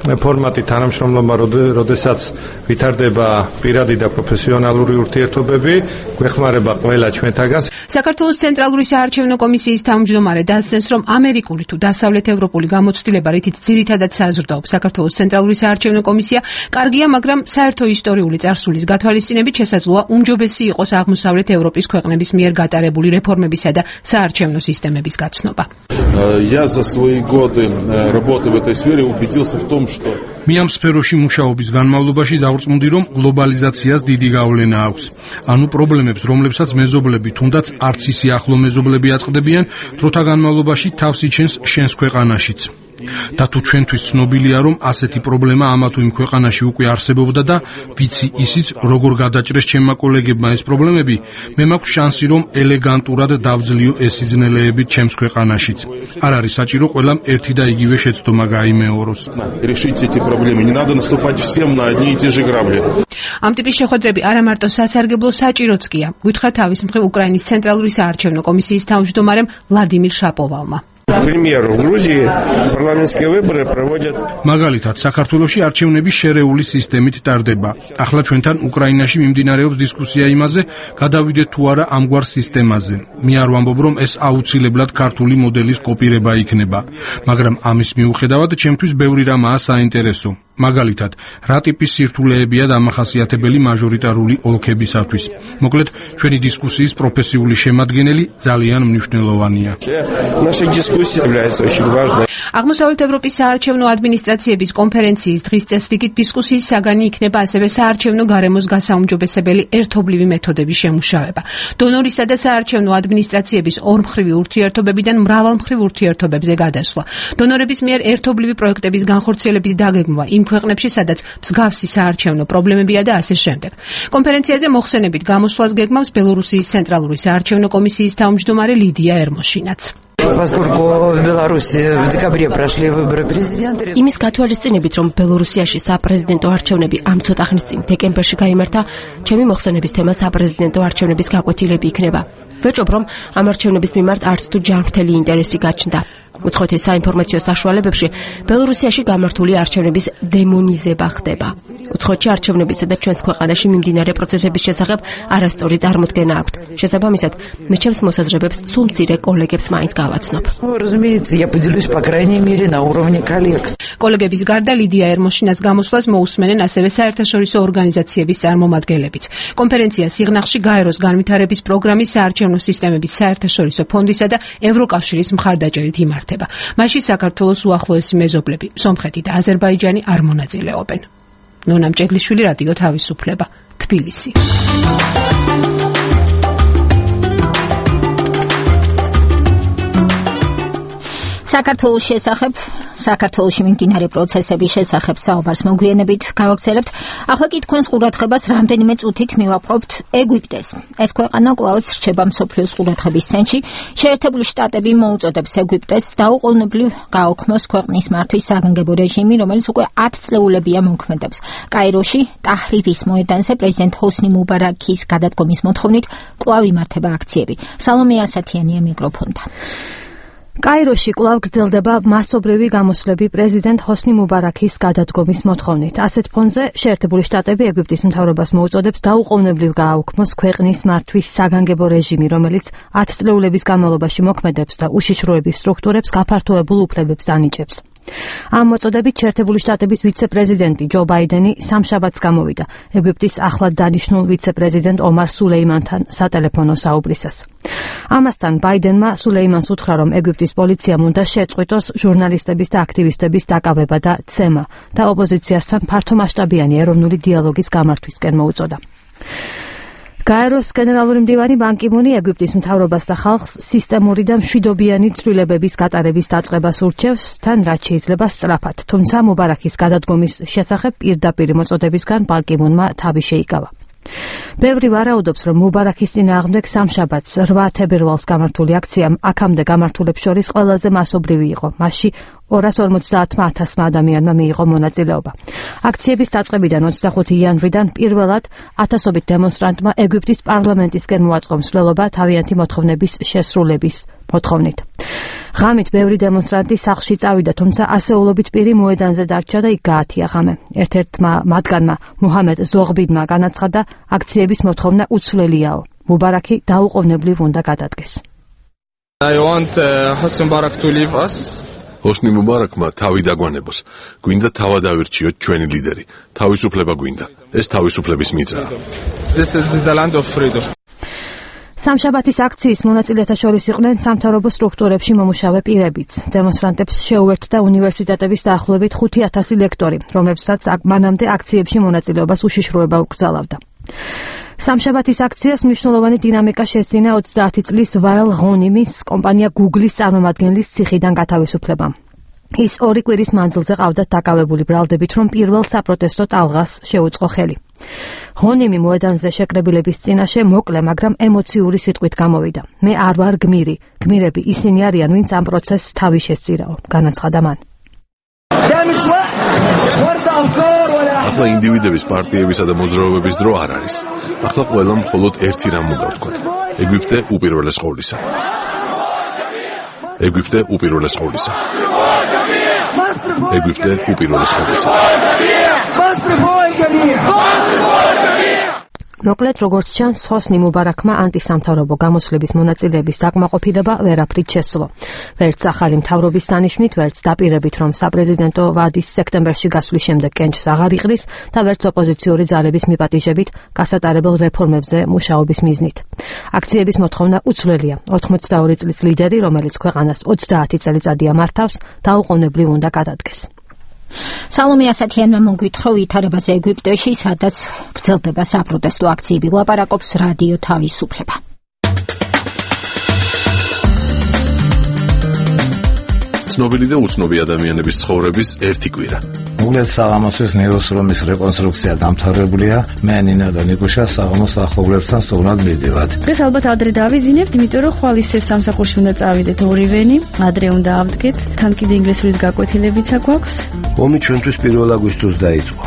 ფორმატი თანამშრომლობა, როდესაც ვითარდება პირადი და პროფესიონალური ურთიერთობები, გვეხმარება ყველა ჩვენთაგანს. საქართველოს ცენტრალური საარჩევნო კომისიის თავმჯდომარე დასცენს, რომ ამერიკული თუ დასავლეთ ევროპული გამოცდილება, რითიც ძირითადად საზრდოობს საქართველოს ცენტრალური საარჩევნო კომისია, კარგია, მაგრამ საერთო ისტორიული წარსულის გათვალისწინებით შესაძლოა უმჯობესი იყოს აღმოსავლეთ ევროპის ქვეყნების მიერ გატარებული რეფორმებისა და საარჩევნო სისტემების გაცნობა. Я за свои годы работы в этой сфере убедился в том, что მე ამ სფეროში მუშაობის განმავლობაში დავწმუნდი, რომ გლობალიზაციას დიდი გავლენა აქვს. ანუ პრობლემებს, რომლებსაც მეზობლები თუნდაც არც ისე ახლო მეზობლები აწყდებიან, დროთა განმავლობაში თავს იჩენს შენს ქვეყანაშიც. და თუ ჩვენთვის ცნობილია, რომ ასეთი პრობლემა ამა თუ იმ ქვეყანაში უკვე არსებობდა და ვიცი ისიც, როგორ გადაჭრეს ჩემმა კოლეგებმა ეს პრობლემები, მე მაქვს შანსი, რომ ელეგანტურად დავძლიო ეს სიძნელეები ჩემს ქვეყანაშიც. არ არის საჭირო ყველამ ერთი და იგივე შეცდომა გაიმეოროს. ამ ტიპის შეხვედრები არა მარტო სასარგებლო საჭიროც კია, გითხრა თავის მხრივ უკრაინის ცენტრალური საარჩევნო კომისიის თავმჯდომარემ ვლადიმირ შაპოვალმა. მაგალითად, საქართველოში არჩევნები შერეული სისტემით ტარდება. ახლა ჩვენთან უკრაინაში მიმდინარეობს დისკუსია იმაზე, გადავიდეთ თუ არა ამგვარ სისტემაზე. მე არ ვამბობ, რომ ეს აუცილებლად ქართული მოდელის კოპირება იქნება, მაგრამ ამის მიუხედავად ჩემთვის ბევრი რამაა საინტერესო. მაგალითად, რა ტიპის სირთულეებია დამახასიათებელი მაჟორიტარული ოლქებისათვის. მოკლედ, ჩვენი დისკუსიის პროფესიული შემადგენელი ძალიან მნიშვნელოვანია. აღმოსავლეთ ევროპის საარჩევნო ადმინისტრაციების კონფერენციის დღის წესრიგით დისკუსიის საგანი იქნება ასევე საარჩევნო გარემოს გასაუმჯობესებელი ერთობლივი მეთოდების შემუშავება. დონორისა და საარჩევნო ადმინისტრაციების ორმხრივი ურთიერთობებიდან მრავალმხრივ ურთიერთობებზე გადასვლა. დონორების მიერ ერთობლივი პროექტების განხორციელების დაგეგმვა იმ ქვეყნებში, სადაც მსგავსი საარჩევნო პრობლემებია და ასე შემდეგ. კონფერენციაზე მოხსენებით გამოსვლას გეგმავს ბელორუსიის ცენტრალური საარჩევნო კომისიის თავმჯდომარე ლიდია ერმოშინაც. იმის გათვალისწინებით, რომ ბელორუსიაში საპრეზიდენტო არჩევნები ამ ცოტა ხნის წინ დეკემბერში გაიმართა, ჩემი მოხსენების თემა საპრეზიდენტო არჩევნების გაკვეთილები იქნება. ვეჭობ, რომ ამ არჩევნების მიმართ არც თუ ჯანმრთელი ინტერესი გაჩნდა. უცხოეთის საინფორმაციო საშუალებებში ბელორუსიაში გამართული არჩევნების დემონიზება ხდება. უცხოეთში არჩევნებისა და ჩვენს ქვეყანაში მიმდინარე პროცესების შესახებ არასწორი წარმოდგენა აქვთ. შესაბამისად, მიჩემს მოსაზრებებს სულ მცირე კოლეგებს მაინც გავაცნობ. კოლეგების გარდა ლიდია ერმოშინას გამოსვლას მოусმენენ ასევე საერთაშორისო ორგანიზაციების წარმომადგენლებიც. კონფერენცია სიღნაღში გაეროს განვითარების პროგრამის საარჩევნო სისტემების საერთაშორისო ფონდისა და ევროკავშირის მხარდაჭერით იმართება. მასში საქართველოს უახლოესი მეზობლები, სომხეთი და აზერბაიჯანი არ მონაწილეობენ. ნონა მჭედლიშვილი, რადიო თავისუფლება, თბილისი. საქართველოს შესახებ, საქართველოში მიმდინარე პროცესების შესახებ საუბარს მოგვიანებით გავაგრძელებთ. ახლა კი თქვენს ყურადღებას რამდენიმე წუთით მივაპყრობთ ეგვიპტეს. ეს ქვეყანა კვლავაც რჩება მსოფლიოს ყურადღების ცენტრში. შეერთებული შტატები მოუწოდებს ეგვიპტეს დაუყოვნებლივ გააუქმოს ქვეყნის მართვის საგანგებო რეჟიმი, რომელიც უკვე ათ წლეულებია მოქმედებს. კაიროში, ტაჰრირის მოედანზე პრეზიდენტ ჰოსნი მუბარაქის გადადგომის მოთხოვნით კვლავ იმართება აქციები. სალომე ასათიანია მიკროფონთან. კაიროში კვლავ გრძელდება მასობრივი გამოსვლები პრეზიდენტ ჰოსნი მუბარაქის გადადგომის მოთხოვნით. ასეთ ფონზე შეერთებული შტატები ეგვიპტის მთავრობას მოუწოდებს დაუყოვნებლივ გააუქმოს ქვეყნის მართვის საგანგებო რეჟიმი, რომელიც ათ წლეულების განმავლობაში მოქმედებს და უშიშროების სტრუქტურებს გაფართოებულ უფლებებს ანიჭებს. ამ მოწოდებით შეერთებული შტატების ვიცე-პრეზიდენტი ჯო ბაიდენი სამშაბათს გამოვიდა ეგვიპტის ახლად დანიშნულ ვიცე-პრეზიდენტ ომარ სულეიმანთან სატელეფონო საუბრისას. ამასთან ბაიდენმა სულეიმანს უთხრა, რომ ეგვიპტის პოლიციამ უნდა შეწყვიტოს ჟურნალისტების და აქტივისტების დაკავება და ცემა და ოპოზიციასთან ფართომასშტაბიანი ეროვნული დიალოგის გამართვისკენ მოუწოდა. გაეროს გენერალური მდივანი ბან კი მუნი ეგვიპტის მთავრობას და ხალხს სისტემური და მშვიდობიანი ცვლილებების გატარების დაწყებას ურჩევს, თან რაც შეიძლება სწრაფად, თუმცა მუბარაქის გადადგომის შესახებ პირდაპირ მოწოდებისგან ბან კი მუნმა თავი შეიკავა. ბევრი ვარაუდობს, რომ მუბარაქის წინააღმდეგ სამშაბათს რვა თებერვალს გამართული აქცია აქამდე გამართულებს შორის ყველაზე მასობრივი იყო. მასში ორას ორმოცდაათმა ათასმა ადამიანმა მიიღო მონაწილეობა. აქციების დაწყებიდან ოცდახუთი იანვრიდან პირველად ათასობით დემონსტრანტმა ეგვიპტის პარლამენტისკენ მოაწყო მსვლელობა თავიანთი მოთხოვნების შესრულების მოთხოვნით. ღამით ბევრი დემონსტრანტი სახლში წავიდა, თუმცა ასეულობით პირი მოედანზე დარჩა და იქ გაათია ღამე. ერთ-ერთმა მათგანმა მუჰამედ ზოღბიდმა განაცხადა, აქციების მოთხოვნა უცვლელიაო. მუბარაქი დაუყოვნებლივ უნდა გადადგეს. I want uh, Hosni Mubarak to leave us. ჰოსნი მუბარაქმა თავი დაგვანებოს. გვინდა თავადავირჩიოთ ჩვენი ლიდერი. თავისუფლება გვინდა. ეს თავისუფლების მიწაა. This is the land of freedom. სამშაბათის აქციის მონაწილეთა შორის იყვნენ სამთავრობო სტრუქტურებში მომუშავე პირებიც. დემონსტრანტებს შეუერთდა უნივერსიტეტების დაახლოებით ხუთი ათასი ლექტორი, რომლებსაც მანამდე აქციებში მონაწილეობას უშიშროება უკრძალავდა. სამშაბათის აქციას მნიშვნელოვანი დინამიკა შესძინა ოცდაათი წლის ვაილ ღონიმის კომპანია Google-ის წარმომადგენლის ციხიდან გათავისუფლებამ. ის ორი კვირის მანძილზე ყავდათ დაკავებული ბრალდებით, რომ პირველ საპროტესტო ტალღას შეუწყო ხელი. ღონიმი მოედანზე შეკრებილების წინაშე მოკლე, მაგრამ ემოციური სიტყვით გამოვიდა. მე არ ვარ გმირი, გმირები ისინი არიან, ვინც ამ პროცესს თავი შესწირაო, განაცხადა მან. ახლა ინდივიდების, პარტიებისა და მოძრაობების დრო არ არის. ახლა ყველამ მხოლოდ ერთი რამ უნდა ვთქვათ. ეგვიპტე უპირველეს ყოვლისა. ეგვიპტე უპირველეს ყოვლისა. ეგვიპტე უპირველეს ყოვლისა. მოკლედ, როგორც ჩანს, ჰოსნი მუბარაქმა ანტისამთავრობო გამოსვლების მონაწილეების დაკმაყოფილება ვერაფრით შესძლო. ვერც ახალი მთავრობის დანიშვნით, ვერც დაპირებით, რომ საპრეზიდენტო ვადის სექტემბერში გასვლის შემდეგ კენჭს აღარ იყრის და ვერც ოპოზიციური ძალების მიპატიჟებით გასატარებელ რეფორმებზე მუშაობის მიზნით. აქციების მოთხოვნა უცვლელია. ოთხმოცდაორი წლის ლიდერი, რომელიც ქვეყანას ოცდაათი წელიწადია მართავს, დაუყოვნებლივ უნდა გადადგეს. სალომე ასათიანმა მოგვითხრა ვითარებაზე ეგვიპტეში, სადაც გრძელდება საპროტესტო აქციები. ლაპარაკობს რადიო თავისუფლება. ცნობილი და უცნობი ადამიანების ცხოვრების ერთი კვირა. უგლეთ საღამოსის ნეიროსრომის რეკონსტრუქცია დამთავრებულია. მე ნინა და ნიკუშა საღამოს ახლობლებთან სტუმრად მივდივართ. დღეს ალბათ ადრე დავიძინებთ, იმიტომ რომ ხვალ ისევ სამსახურში უნდა წავიდეთ ორივენი, ადრე უნდა ავდგეთ. თან კიდე ინგლისურის გაკვეთილებიც აქვს. ომი ჩვენთვის პირველ აგვისტოს დაიწყო.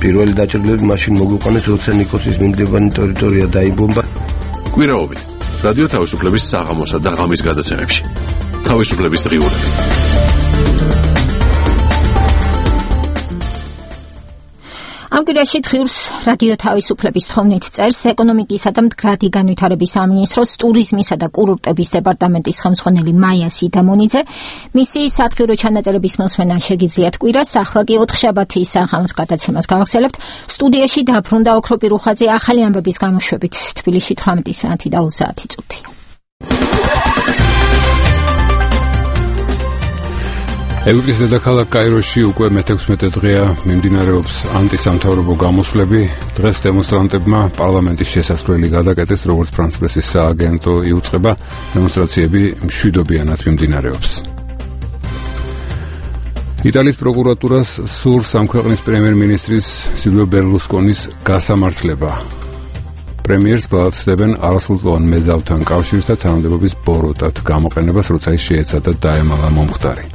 პირველი დაჭრილები მაშინ მოგვიყვანეს, როცა ნიკოსის მიმდებარე ტერიტორია დაიბომბა. კვირაობით რადიო თავისუფლების საღამოსა და ღამის გადაცემებში. თავისუფლების დღიურები. ამ კვირაში დღიურს რადიო თავისუფლების თხოვნით წერს ეკონომიკისა და მდგრადი განვითარების სამინისტროს ტურიზმისა და კურორტების დეპარტამენტის ხელმძღვანელი მაია სიდამონიძე. მისი სათქირო ჩანაწერების მოსმენა შეგიძლიათ კვირას, ახლა კი ოთხშაბათის საღამოს გადაცემას გავახსენებთ. სტუდიაში დაბრუნდა ოქროპი რუხაძე ახალი ამბების გამოშვებით. თბილისში თვრამეტი საათი და ოცი წუთი. ეგვიპტის დედაქალაქ კაიროში უკვე მეთექვსმეტე დღეა მიმდინარეობს ანტისამთავრობო გამოსვლები. დღეს დემონსტრანტებმა პარლამენტის შესასვლელი გადაკეტეს, როგორც ფრანს პრესის სააგენტო იუწყება. დემონსტრაციები მშვიდობიანად მიმდინარეობს. იტალიის პროკურატურას სურს ამ ქვეყნის პრემიერ-მინისტრის სილვიო ბერლუსკონის გასამართლება. პრემიერს ბალანსდებენ არასრულწლოვან მეზალთან კავშირს და თანამდებობის ბოროტად გამოყენებას, როცა ის შეეცადა დაემალა მომხდარი.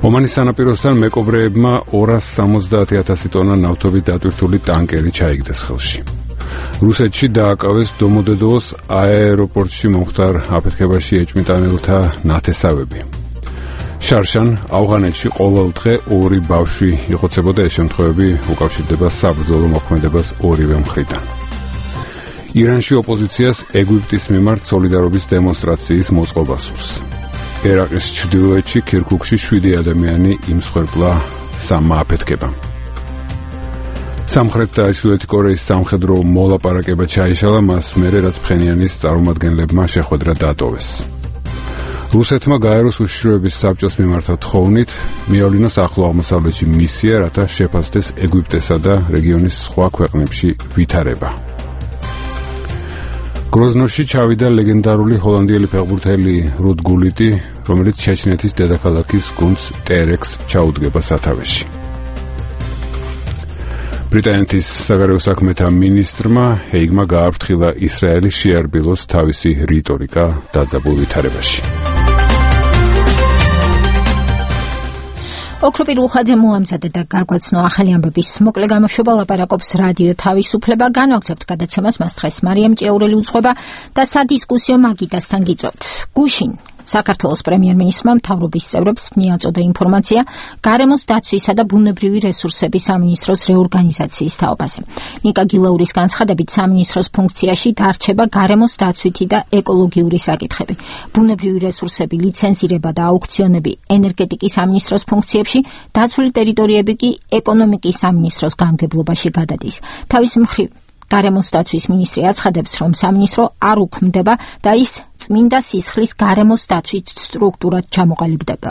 ომანის სანაპიროსთან მეკობრეებმა ორას სამოცდაათი ათასი ტონა ნავთობით დატვირთული ტანკერი ჩაიგდეს ხელში. რუსეთში დააკავეს დომოდედოვოს აეროპორტში მომხდარ აფეთქებაში ეჭვმიტანელთა ნათესავები. შარშან ავღანეთში ყოველ დღე ორი ბავშვი იხოცებოდა. ეს შემთხვევები უკავშირდება საბრძოლო მოქმედებას ორივე მხრიდან. ირანში ოპოზიციას ეგვიპტის მიმართ სოლიდარობის დემონსტრაციის მოწყობა სურს. ერაყის ჩრდილოეთში ქირქუქში შვიდი ადამიანი იმსხვერპლა სამმა აფეთქებამ. სამხრეთ და ჩრდილოეთი კორეის სამხედრო მოლაპარაკება ჩაიშალა, მას მერე რაც ფხენიანის წარმომადგენლებმა შეხვედრა დატოვეს. რუსეთმა გაეროს უშიშროების საბჭოს მიმართა თხოვნით მიავლინოს ახლო აღმოსავლეთში მისია, რათა შეფასდეს ეგვიპტესა და რეგიონის სხვა ქვეყნებში ვითარება. გროზნოში ჩავიდა ლეგენდარული ჰოლანდიელი ფეხბურთელი რუდ გულიტი, რომელიც ჩეჩნეთის დედაქალაქის გუნდს ტერექს ჩაუდგება სათავეში. ბრიტანეთის საგარეო საქმეთა მინისტრმა ჰეიგმა გააფრთხილა ისრაელის შეარბილოს თავისი რიტორიკა დაძაბულ ვითარებაში. ოქროპი რუხაძე მოამზადა და გაგვაცნო ახალი ამბების მოკლე გამოშვება, ლაპარაკობს რადიო თავისუფლება. განვაგრძობთ გადაცემას, მას დღეს მარიამ ჭიაურელი უძღვება და სადისკუსიო მაგიდასთან გიწევთ. გუშინ საქართველოს პრემიერ-მინისტრმა მთავრობის წევრებს მიაწოდა ინფორმაცია გარემოს დაცვისა და ბუნებრივი რესურსების სამინისტროს რეორგანიზაციის თაობაზე. ნიკა გილაურის განცხადებით, სამინისტროს ფუნქციაში დარჩება გარემოს დაცვითი და ეკოლოგიური საკითხები. ბუნებრივი რესურსები, ლიცენზირება და აუქციონები ენერგეტიკის სამინისტროს ფუნქციებში, დაცული ტერიტორიები კი ეკონომიკის სამინისტროს გამგებლობაში გადადის. თავის მხრივ გარემოს დაცვის მინისტრი აცხადებს, რომ სამინისტრო არ უქმდება და ის წმინდა სისხლის გარემოს დაცვით სტრუქტურად ჩამოყალიბდება.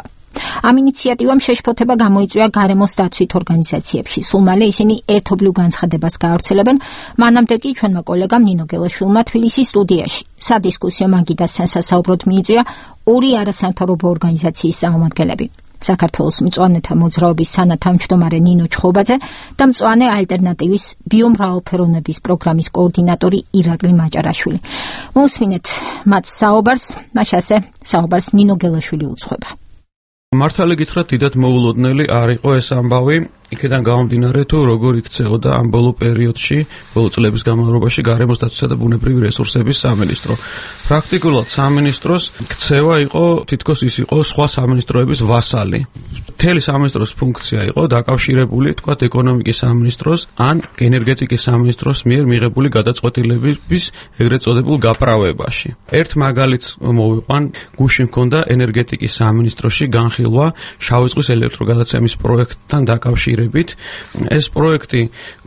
ამ ინიციატივამ შეშფოთება გამოიწვია გარემოს დაცვით ორგანიზაციებში. სულ მალე ისინი ერთობლივ განცხადებას გაავრცელებენ. მანამდე კი ჩვენმა კოლეგამ ნინო გელაშვილმა თბილისის სტუდიაში სადისკუსიო მაგიდასთან სასაუბროდ მიიწვია ორი არასამთავრობო ორგანიზაციის წარმომადგენლები. საქართველოს მწვანეთა მოძრაობის თანათავმჯდომარე ნინო ჩხობაძე და მწვანე ალტერნატივის ბიომრავალფეროვნების პროგრამის კოორდინატორი ირაკლი მაჭარაშვილი. მოусმინეთ მათ საუბარს, მაშასე საუბარს ნინო გელაშვილი უძღვება. მართალი გითხრათ, დიდად მოულოდნელი არ იყო ეს ამბავი. იქიდან გამომდინარე, თუ როგორ იქცეოდა ამ ბოლო პერიოდში, ბოლო წლების განმავლობაში გარემოს დაცვისა და ბუნებრივი რესურსების სამინისტრო. პრაქტიკულად სამინისტროს ქცევა იყო, თითქოს ის იყო სხვა სამინისტროების ვასალი. მთელი სამინისტროს ფუნქცია იყო დაკავშირებული, თქვათ, ეკონომიკის სამინისტროს ან ენერგეტიკის სამინისტროს მიერ მიღებული გადაწყვეტილების ეგრეთ წოდებულ გაправებაში. ერთ მაგალითს მოვიყვან, გუშინ მქონდა ენერგეტიკის სამინისტროში განხილვა შავი ზღვის ელექტროგადაცემის პროექტთან დაკავშირებით. ეს პროექტი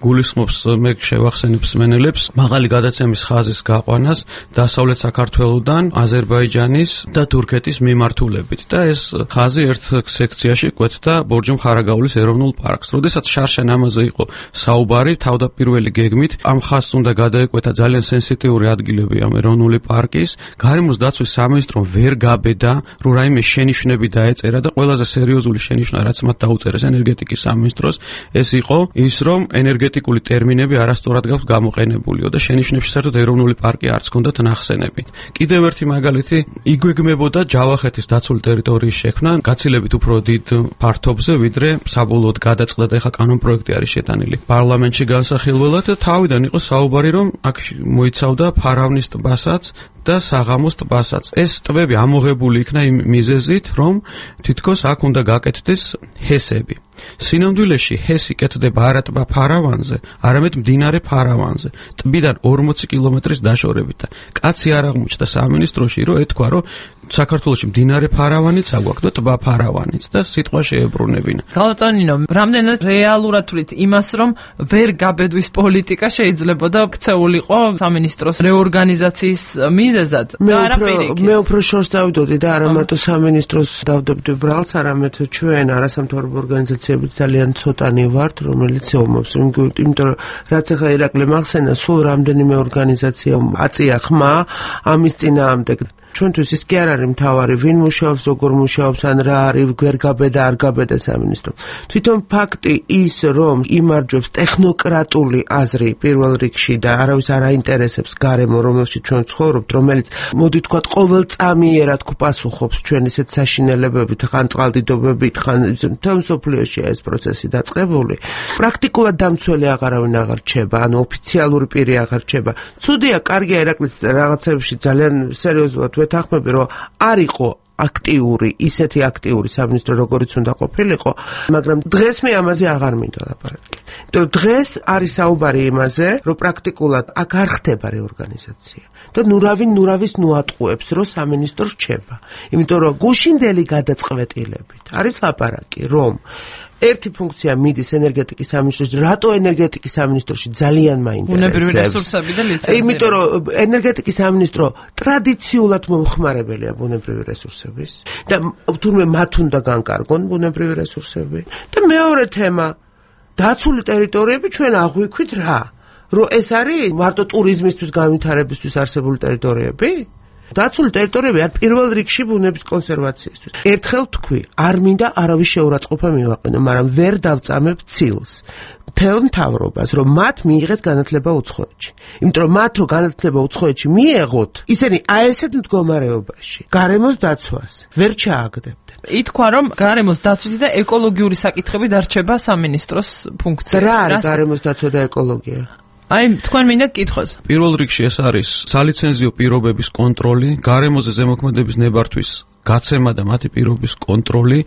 გულისხმობს, მე შევახსენებ მსმენელებს, მაღალი გადაცემის ხაზის გაყვანას დასავლეთ საქართველოდან აზერბაიჯანის და თურქეთის მიმართულებით და ეს ხაზი ერთ სექციაში კვეთდა ბორჯომ-ხარაგაულის ეროვნულ პარკს. როდესაც შარშან ამაზე იყო საუბარი, თავდაპირველი გეგმით ამ ხაზს უნდა გადაეკვეთა ძალიან სენსიტიური ადგილები ამ ეროვნული პარკის. გარემოს დაცვის სამინისტრომ ვერ გაბედა, რომ რაიმე შენიშვნები დაეწერა და ყველაზე სერიოზული შენიშვნა, რაც მათ დაუწერეს ენერგეტიკის სამინისტრომ, სამინისტროს ეს იყო ის, რომ ენერგეტიკული ტერმინები არასწორად გაქვს გამოყენებულიო და შენიშვნებში საერთოდ ეროვნული პარკი არც ჰქონდათ ნახსენები. კიდევ ერთი მაგალითი იგვეგმებოდა ჯავახეთის დაცული ტერიტორიის შექმნა გაცილებით უფრო დიდ ფართობზე, ვიდრე საბოლოოდ გადაწყდა და ეხა კანონპროექტი არის შეტანილი პარლამენტში განსახილველად და თავიდან იყო საუბარი, რომ აქ მოიცავდა ფარავნის ტბასაც და საღამოს ტბასაც. ეს ტბები ამოღებული იქნა იმ მიზეზით, რომ თითქოს აქ უნდა გაკეთდეს ჰესები. სინამდვილეში ჰესი კეთდება არა ტბა ფარავანზე, არამედ მდინარე ფარავანზე, ტბიდან ორმოცი კილომეტრის დაშორებით. კაცი არ აღმოჩნდა სამინისტროში, რომ ეთქვა, რომ საქართველოში მდინარე ფარავანიც აგვაქვს და ტბა ფარავანიც და სიტყვა შეებრუნებინა. გავტანინო, რამდენად რეალურად თვლით იმას, რომ ვერ გაბედვის პოლიტიკა შეიძლება და ქცეულიყო სამინისტროს რეორგანიზაციის მიზეზად და არა პირიქით. მე უფრო შორს დავდოდი და არა მარტო სამინისტროს დავდებდი ბრალს, არამედ ჩვენ არასამთავრობო ორგანიზაციებიც ძალიან ცოტანი ვართ, რომელიც ომობს. იმიტომ რომ რაც ახლა ირაკლი მახსენა, სულ რამდენიმე ორგანიზაცია აწია ხმა ამის წინააღმდეგ. ჩვენთვის ის კი არ არის მთავარი, ვინ მუშაობს, როგორ მუშაობს, ან რა არის, ვერ გაბედა, არ გაბედა სამინისტრო. თვითონ ფაქტი ის, რომ იმარჯვებს ტექნოკრატული აზრი პირველ რიგში და არავის არ აინტერესებს გარემო, რომელშიც ჩვენ ცხოვრობთ, რომელიც მოდი თქვა ყოველწამიერად გპასუხობს ჩვენ ისეთ საშინელებებით, ხან წყალდიდობებით, ხან თემ სოფლიოში ეს პროცესი დაწყებული. პრაქტიკულად დამცველი აღარავინ აღარ რჩება, ანუ ოფიციალური პირი აღარ რჩება. ცუდია, კარგია ირაკლის რაღაცებში ძალიან სერიოზულად ვეთანხმები, რომ არ იყო აქტიური, ისეთი აქტიური სამინისტრო, როგორიც უნდა ყოფილიყო, მაგრამ დღეს მე ამაზე აღარ მინდა ლაპარაკი. იმიტომ რომ დღეს არის საუბარი იმაზე, რომ პრაქტიკულად აქ არ ხდება რეორგანიზაცია და ნურავი ნურავის ნუატყუებს, რომ სამინისტრო რჩება. იმიტომ რომ გუშინდელი გადაწყვეტილებით არის ლაპარაკი, რომ ერთი ფუნქცია მიდის ენერგეტიკის სამინისტროში, რატო ენერგეტიკის სამინისტროში ძალიან მაინტერესებს. ბუნებრივი რესურსები და ლიცენზიები. იმიტომ რომ ენერგეტიკის სამინისტრო ტრადიციულად მომხმარებელია ბუნებრივი რესურსების და თურმე მათ უნდა განკარგონ ბუნებრივი რესურსები. და მეორე თემა, დაცული ტერიტორიები ჩვენ აღვიქვით რა? რომ ეს არის მარტო ტურიზმისთვის განვითარებისთვის არსებული ტერიტორიები? დაცული ტერიტორიები არ პირველ რიგში ბუნების კონსერვაციისთვის. ერთხელ თქვი, არ მინდა არავის შეურაცხყოფა მივაყენო, მაგრამ ვერ დავწამებ ცილს. მთელ მთავრობას, რომ მათ მიიღეს განათლება უცხოეთში. იმიტომ რომ მათ რო განათლება უცხოეთში მიეღოთ, ისინი აი ესეთ მდგომარეობაში გარემოს დაცვას ვერ ჩააგდებდნენ. ითქვა, რომ გარემოს დაცვისი და ეკოლოგიური საკითხები დარჩება სამინისტროს ფუნქციაში. რა არის გარემოს დაცვა და ეკოლოგია? აი, თქვენ მინდა გკითხოს. პირველ რიგში ეს არის სალიცენზიო პირობების კონტროლი, გარემოზე ზემოქმედების ნებართვის გაცემა და მათი პირობის კონტროლი,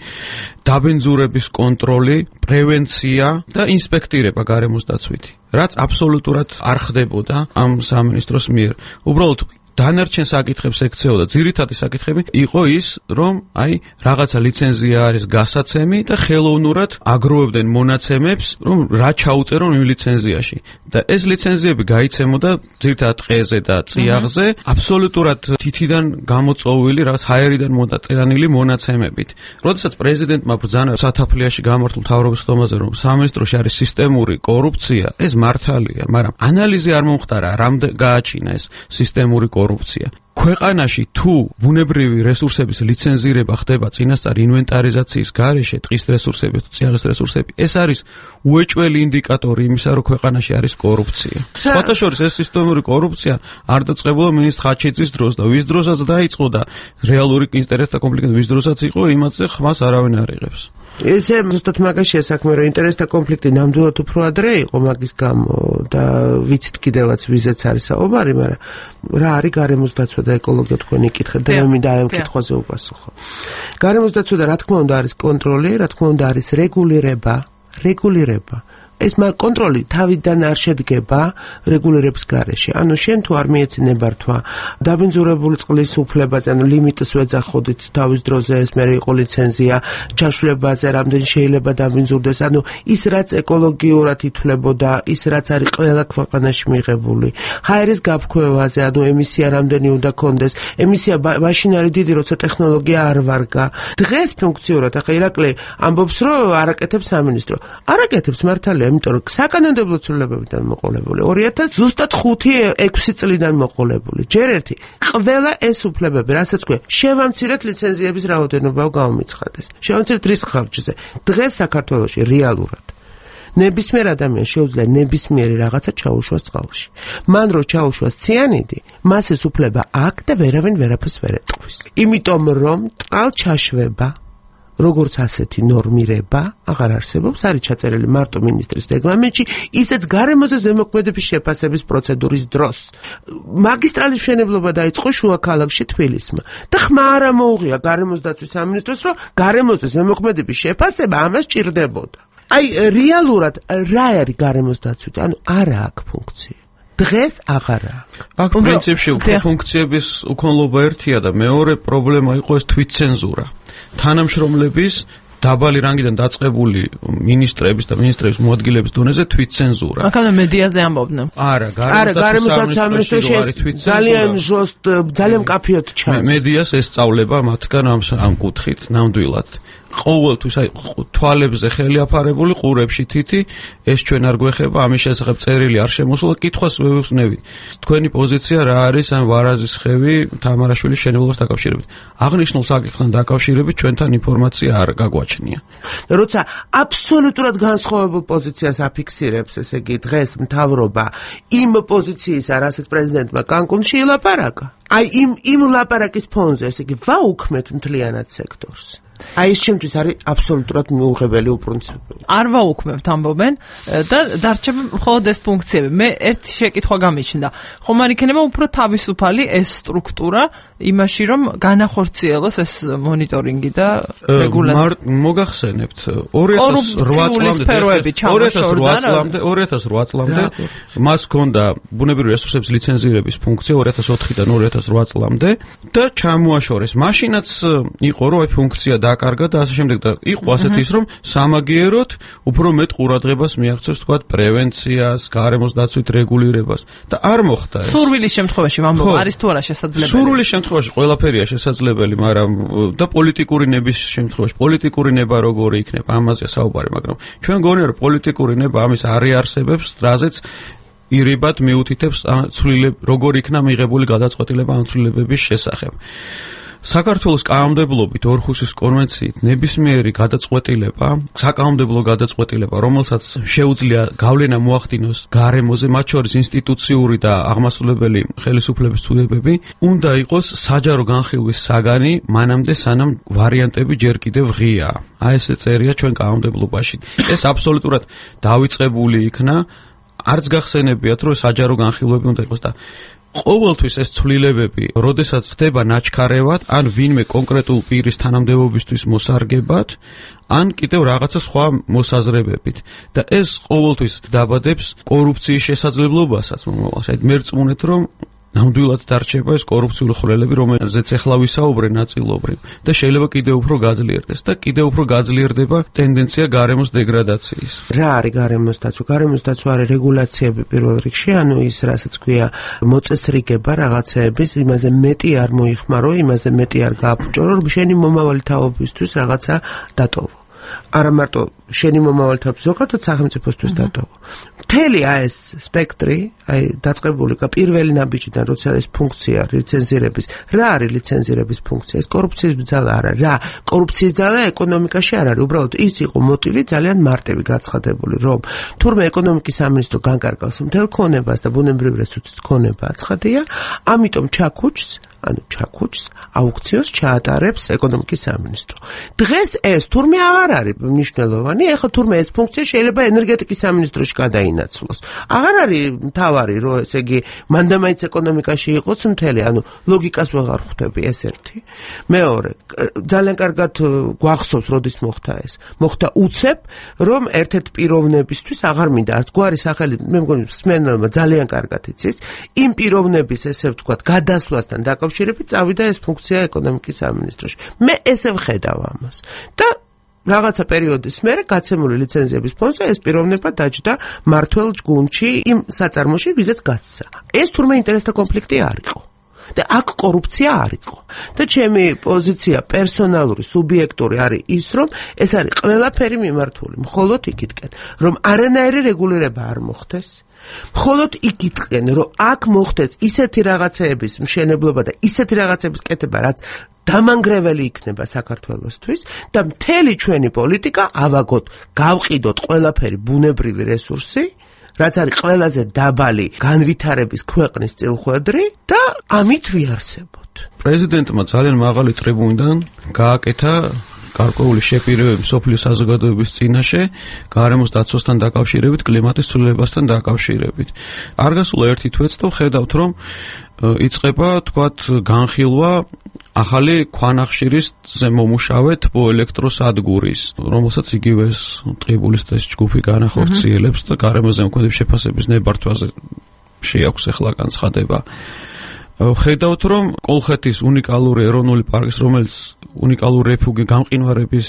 დაბინძურების კონტროლი, პრევენცია და ინსპექტირება გარემოს დაცვითი. რაც აბსოლუტურად არ ხდებოდა ამ სამინისტროს მიერ. უბრალოდ დანარჩენ საკითხებს ექცეოდა. ძირითადი საკითხები იყო ის, რომ აი რაღაცა ლიცენზია არის გასაცემი და ხელოვნურად აგროვებდნენ მონაცემებს, რომ რა ჩაუწერონ იმ ლიცენზიაში. და ეს ლიცენზიები გაიცემოდა ძირითადად ტყეზე და წიაღზე, აბსოლუტურად თითიდან გამოწვეული, რაღაც ჰაერიდან მოდაწერანილი მონაცემებით. როდესაც პრეზიდენტმა ბრძანა სათაფლიაში გამართულ მთავრობის ხდომაზე, რომ სამინისტროში არის სისტემური კორუფცია, ეს მართალია, მაგრამ ანალიზი არ მომხდარა, რამდენ გააჩინა ეს სისტემური კორუფცია. კორუფცია. ქვეყანაში თუ ბუნებრივი რესურსების ლიცენზირება ხდება წინასწარ ინვენტარიზაციის გარეშე, ტყის რესურსები თუ წიაღის რესურსები, ეს არის უეჭველი ინდიკატორი იმისა, რომ ქვეყანაში არის კორუფცია. სხვათა შორის ეს სისტემური კორუფცია არ დაწყებულა მინისტრ ხაჩიძის დროს და ვის დროსაც დაიწყო და რეალური ინტერესთა კონფლიქტი ვის დროსაც იყო, იმაზე ხმას არავინ არ იღებს. ესე ზუსტად მაგაშია საქმე, რომ ინტერესთა კონფლიქტი ნამდვილად უფრო ადრე იყო მაგის გამო და ვიცით კიდევაც ვიზეც არის საუბარი, მაგრამ რა არის გარემოს დაცვა და ეკოლოგია თქვენ იკითხეთ და მე მინდა ამ კითხვაზე უპასუხო. გარემოს დაცვა და რა თქმა უნდა არის კონტროლი, რა თქმა უნდა არის რეგულირება, რეგულირება. ეს მაგ კონტროლი თავიდან არ შედგება რეგულირების გარეშე. ანუ შენ თუ არ მიეცი ნებართვა დაბინძურებული წყლის უფლებაზე, ანუ ლიმიტს ვეძახოდით თავის დროზე, ეს მე იყო ლიცენზია ჩაშლებაზე, რამდენი შეიძლება დაბინძურდეს, ანუ ის რაც ეკოლოგიურად ითვლებოდა, ის რაც არის ყველა ქვეყანაში მიღებული. ჰაერის გაფრქვევაზე, ანუ ემისია რამდენი უნდა კონდეს, ემისია მაშინ არის დიდი, როცა ტექნოლოგია არ ვარგა. დღეს ფუნქციურად, ახლა ირაკლი ამბობს, რომ არაკეთებს სამინისტრო. არაკეთებს მართალია, იმიტომ რომ საკანონმდებლო ცვლილებებიდან მოყოლებული ორი ათას ზუსტად ხუთი ექვსი წლიდან მოყოლებული. ჯერ ერთი, ყველა ეს უფლებები, რასაც ქვია, შევამცირეთ ლიცენზიების რაოდენობა გამომიცხადეს. შევამცირეთ რის ხარჯზე. დღეს საქართველოში რეალურად ნებისმიერ ადამიანს შეუძლია ნებისმიერი რაღაცა ჩაუშვას წყალში. მან რო ჩაუშვას ციანიდი, მას ეს უფლება აქვს და ვერავინ ვერაფერს ვერ ეტყვის. იმიტომ რომ წყალჩაშვება როგორც ასეთი ნორმირება აღარ არსებობს, არის ჩაწერილი მარტო მინისტრის რეგლამენტში, ისეც გარემოზე ზემოქმედების შეფასების პროცედურის დროს. მაგისტრალის მშენებლობა დაიწყო შუა ქალაქში თბილისმა და ხმა არ მოუღია გარემოს დაცვის სამინისტროს, რომ გარემოზე ზემოქმედების შეფასება ამას ჭირდებოდა. აი რეალურად რა არის გარემოს დაცვით? ანუ არა აქვს ფუნქცია. დღეს აღარა. აქ პრინციპში ფუნქციების უქონლობა ერთია და მეორე პრობლემა იყო ეს თვითცენზურა. თანამშრომლების დაბალი რანგიდან დაწყებული ministrების და ministrების მოადგილეების დონეზე თვითცენზურა. აქამდე მედიაზე ამბობდნენ. არა, გარემოს დაცვის სამინისტროში ძალიან ჟოსტ, ძალიან მკაფიოდ ჩანს. მედიას ესწავლება მათგან ამ ამ კუთხით ნამდვილად. ყოველთვის აი თვალებზე ხელი აფარებული ყურებში თითი ეს ჩვენ არ გვეხება ამის შესახებ წერილი არ შემოსულა კითხვას ვეუბნებით თქვენი პოზიცია რა არის ამ ვარაზის ხევი თამარაშვილის შენებლობას დაკავშირებით აღნიშნულ საკითხთან დაკავშირებით ჩვენთან ინფორმაცია არ გაგვაჩნია როცა აბსოლუტურად განსხვავებულ პოზიციას აფიქსირებს ესე იგი დღეს მთავრობა იმ პოზიციისა რასაც პრეზიდენტმა კანკუნში ილაპარაკა აი იმ იმ ლაპარაკის ფონზე ესე იგი ვაუქმეთ მთლიანად სექტორს აი ეს ჩემთვის არის აბსოლუტურად მიუღებელი უპრინციპო. არ ვაუქმებთ ამბობენ და დარჩება მხოლოდ ეს ფუნქციები. მე ერთი შეკითხვა გამიჩნდა. ხომ არ იქნება უფრო თავისუფალი ეს სტრუქტურა იმაში რომ განახორციელოს ეს მონიტორინგი და რეგულაცია. მოგახსენებთ ორი ათას ორი ათას ორი წლამდე მას ჰქონდა ბუნებრივი რესურსების ლიცენზირების ფუნქცია ორი ათას ოთხიდან ორი ათას რვა წლამდე და ჩამოაშორეს. მაშინაც იყო რომ აი ფუნქცია დაკარგა და ასე შემდეგ და იყო ასეთ ის რომ სამაგიეროდ უფრო მეტ ყურადღებას მიაღწევს თქვა პრევენციას, გარემოს დაცვით რეგულირებას და არ მოხდა ეს. სურვილის შემთხვევაში ვამბობ, არის თუ არა შესაძლებელი? სურვილის შემთხვევაში ყველაფერია შესაძლებელი, მაგრამ და პოლიტიკური ნების შემთხვევაში პოლიტიკური ნება როგორი იქნება, ამაზე საუბარი, მაგრამ ჩვენ გონია რომ პოლიტიკური ნება ამის არ იარსებებს, რაზეც ირიბად მიუთითებს ცვლილებ როგორ იქნა მიღებული გადაწყვეტილება ამ ცვლილებების შესახებ. საქართველოს კანონმდებლობით ორხუსის კონვენციით ნებისმიერი გადაწყვეტილება, საკანონმდებლო გადაწყვეტილება, რომელსაც შეუძლია გავლენა მოახდინოს გარემოზე, მათ შორის ინსტიტუციური და აღმასრულებელი ხელისუფლების ცვლილებები, უნდა იყოს საჯარო განხილვის საგანი, მანამდე სანამ ვარიანტები ჯერ კიდევ ღიაა. აი ესე წერია ჩვენ კანონმდებლობაში. ეს აბსოლუტურად დავიწყებული იქნა, არც გახსენებიათ, რომ საჯარო განხილვები უნდა იყოს და ყოველთვის ეს ცვლილებები, როდესაც ხდება ნაჩქარევად, ან ვინმე კონკრეტულ პირის თანამდებობისთვის მოსარგებად, ან კიდევ რაღაცა სხვა მოსაზრებებით. და ეს ყოველთვის დაბადებს კორუფციის შესაძლებლობასაც მომავალში. აი მერწმუნეთ, რომ ნამდვილად დარჩება ეს კორუფციული ხვრელები, რომელზეც ახლა ვისაუბრე ნაწილობრივ და შეიძლება კიდევ უფრო გაძლიერდეს და კიდევ უფრო გაძლიერდება ტენდენცია გარემოს დეგრადაციის. რა არის გარემოს დაცვა? გარემოს დაცვა არის რეგულაციები პირველ რიგში, ანუ ის რასაც ქვია მოწესრიგება რაღაცეების, იმაზე მეტი არ მოიხმარო, იმაზე მეტი არ გააფუჭო, რომ შენი მომავალი თაობისთვის რაღაცა დატოვო. არა მარტო შენი მომავალი თაობის ზოგადად სახელმწიფოსთვის დატოვო. მთელი ეს სპექტრი, აი დაწყებული პირველი ნაბიჯიდან, როცა ეს ფუნქცია ლიცენზირების, რა არის ლიცენზირების ფუნქცია? ეს კორუფციის ბრძალა არა, რა? კორუფციის ბრძალა ეკონომიკაში არ არის, უბრალოდ ის იყო მოტივი ძალიან მარტივი გაცხადებული, რომ თურმე ეკონომიკის სამინისტრო განკარგავს მთელ ქონებას და ბუნებრივ რესურსის ქონება აცხადია, ამიტომ ჩაქუჩს ანუ ჩაქუჩს აუქციოს ჩაატარებს ეკონომიკის სამინისტრო. დღეს ეს თურმე აღარ არის მნიშვნელოვანი, ეხლა თურმე ეს ფუნქცია შეიძლება ენერგეტიკის სამინისტროში გადაინაცვლოს. აღარ არის მთავარი, რომ ესე იგი მანდამაიც ეკონომიკაში იყოს მთელი, ანუ ლოგიკას ვეღარ ხვდები ეს ერთი. მეორე, ძალიან კარგად გვახსოვს, როდის მოხდა ეს. მოხდა უცებ, რომ ერთ-ერთ პიროვნებისთვის აღარ მინდა არც გვარი სახელი, მე მგონი სმენელმა ძალიან კარგად იცის, იმ პიროვნების ესე ვთქვათ, გადასვლასთან დაკავშირებით წავიდა ეს ფუნქცია ეკონომიკის სამინისტროში. მე ესე ვხედავ ამას. და რაღაცა პერიოდის მერე გაცემული ლიცენზიების ფონზე ეს პიროვნება დაჯდა მართველ ჯგუნდში იმ საწარმოში, ვიზაც გასცა. ეს თურმე ინტერესთა კონფლიქტი არ იყო. და აქ კორუფცია არ იყო. და ჩემი პოზიცია პერსონალური, სუბიექტური არის ის, რომ ეს არის ყველაფერი მიმართული მხოლოდ იქითკენ, რომ არანაირი რეგულირება არ მოხდეს. მხოლოდ იქითკენ, რომ აქ მოხდეს ისეთი რაღაცეების მშენებლობა და ისეთი რაღაცების კეთება, რაც დამანგრეველი იქნება საქართველოსთვის და მთელი ჩვენი პოლიტიკა ავაგოთ, გავყიდოთ ყველაფერი ბუნებრივი რესურსი, რაც არის ყველაზე დაბალი განვითარების ქვეყნის წილხვედრი და ამით ვიარსებოთ. პრეზიდენტმა ძალიან მაღალი ტრიბუნიდან გააკეთა გარკვეული შეპირებები მსოფლიო საზოგადოების წინაშე გარემოს დაცვასთან დაკავშირებით, კლიმატის ცვლილებასთან დაკავშირებით. არ გასულა ერთი თვეც და ხედავთ, რომ იწყება, თქვათ, განხილვა ახალი ქვანახშირის ზემომუშავე თბოელექტროსადგურის, რომელსაც იგივე ეს ტყიბულის ეს ჯგუფი განახორციელებს და გარემოს ზემოქმედების შეფასების ნებართვაზე შეაქვს ახლა განცხადება. ხედავთ, რომ კოლხეთის უნიკალური ეროვნული პარკის, რომელიც უნიკალური რეფუგი გამყინვარების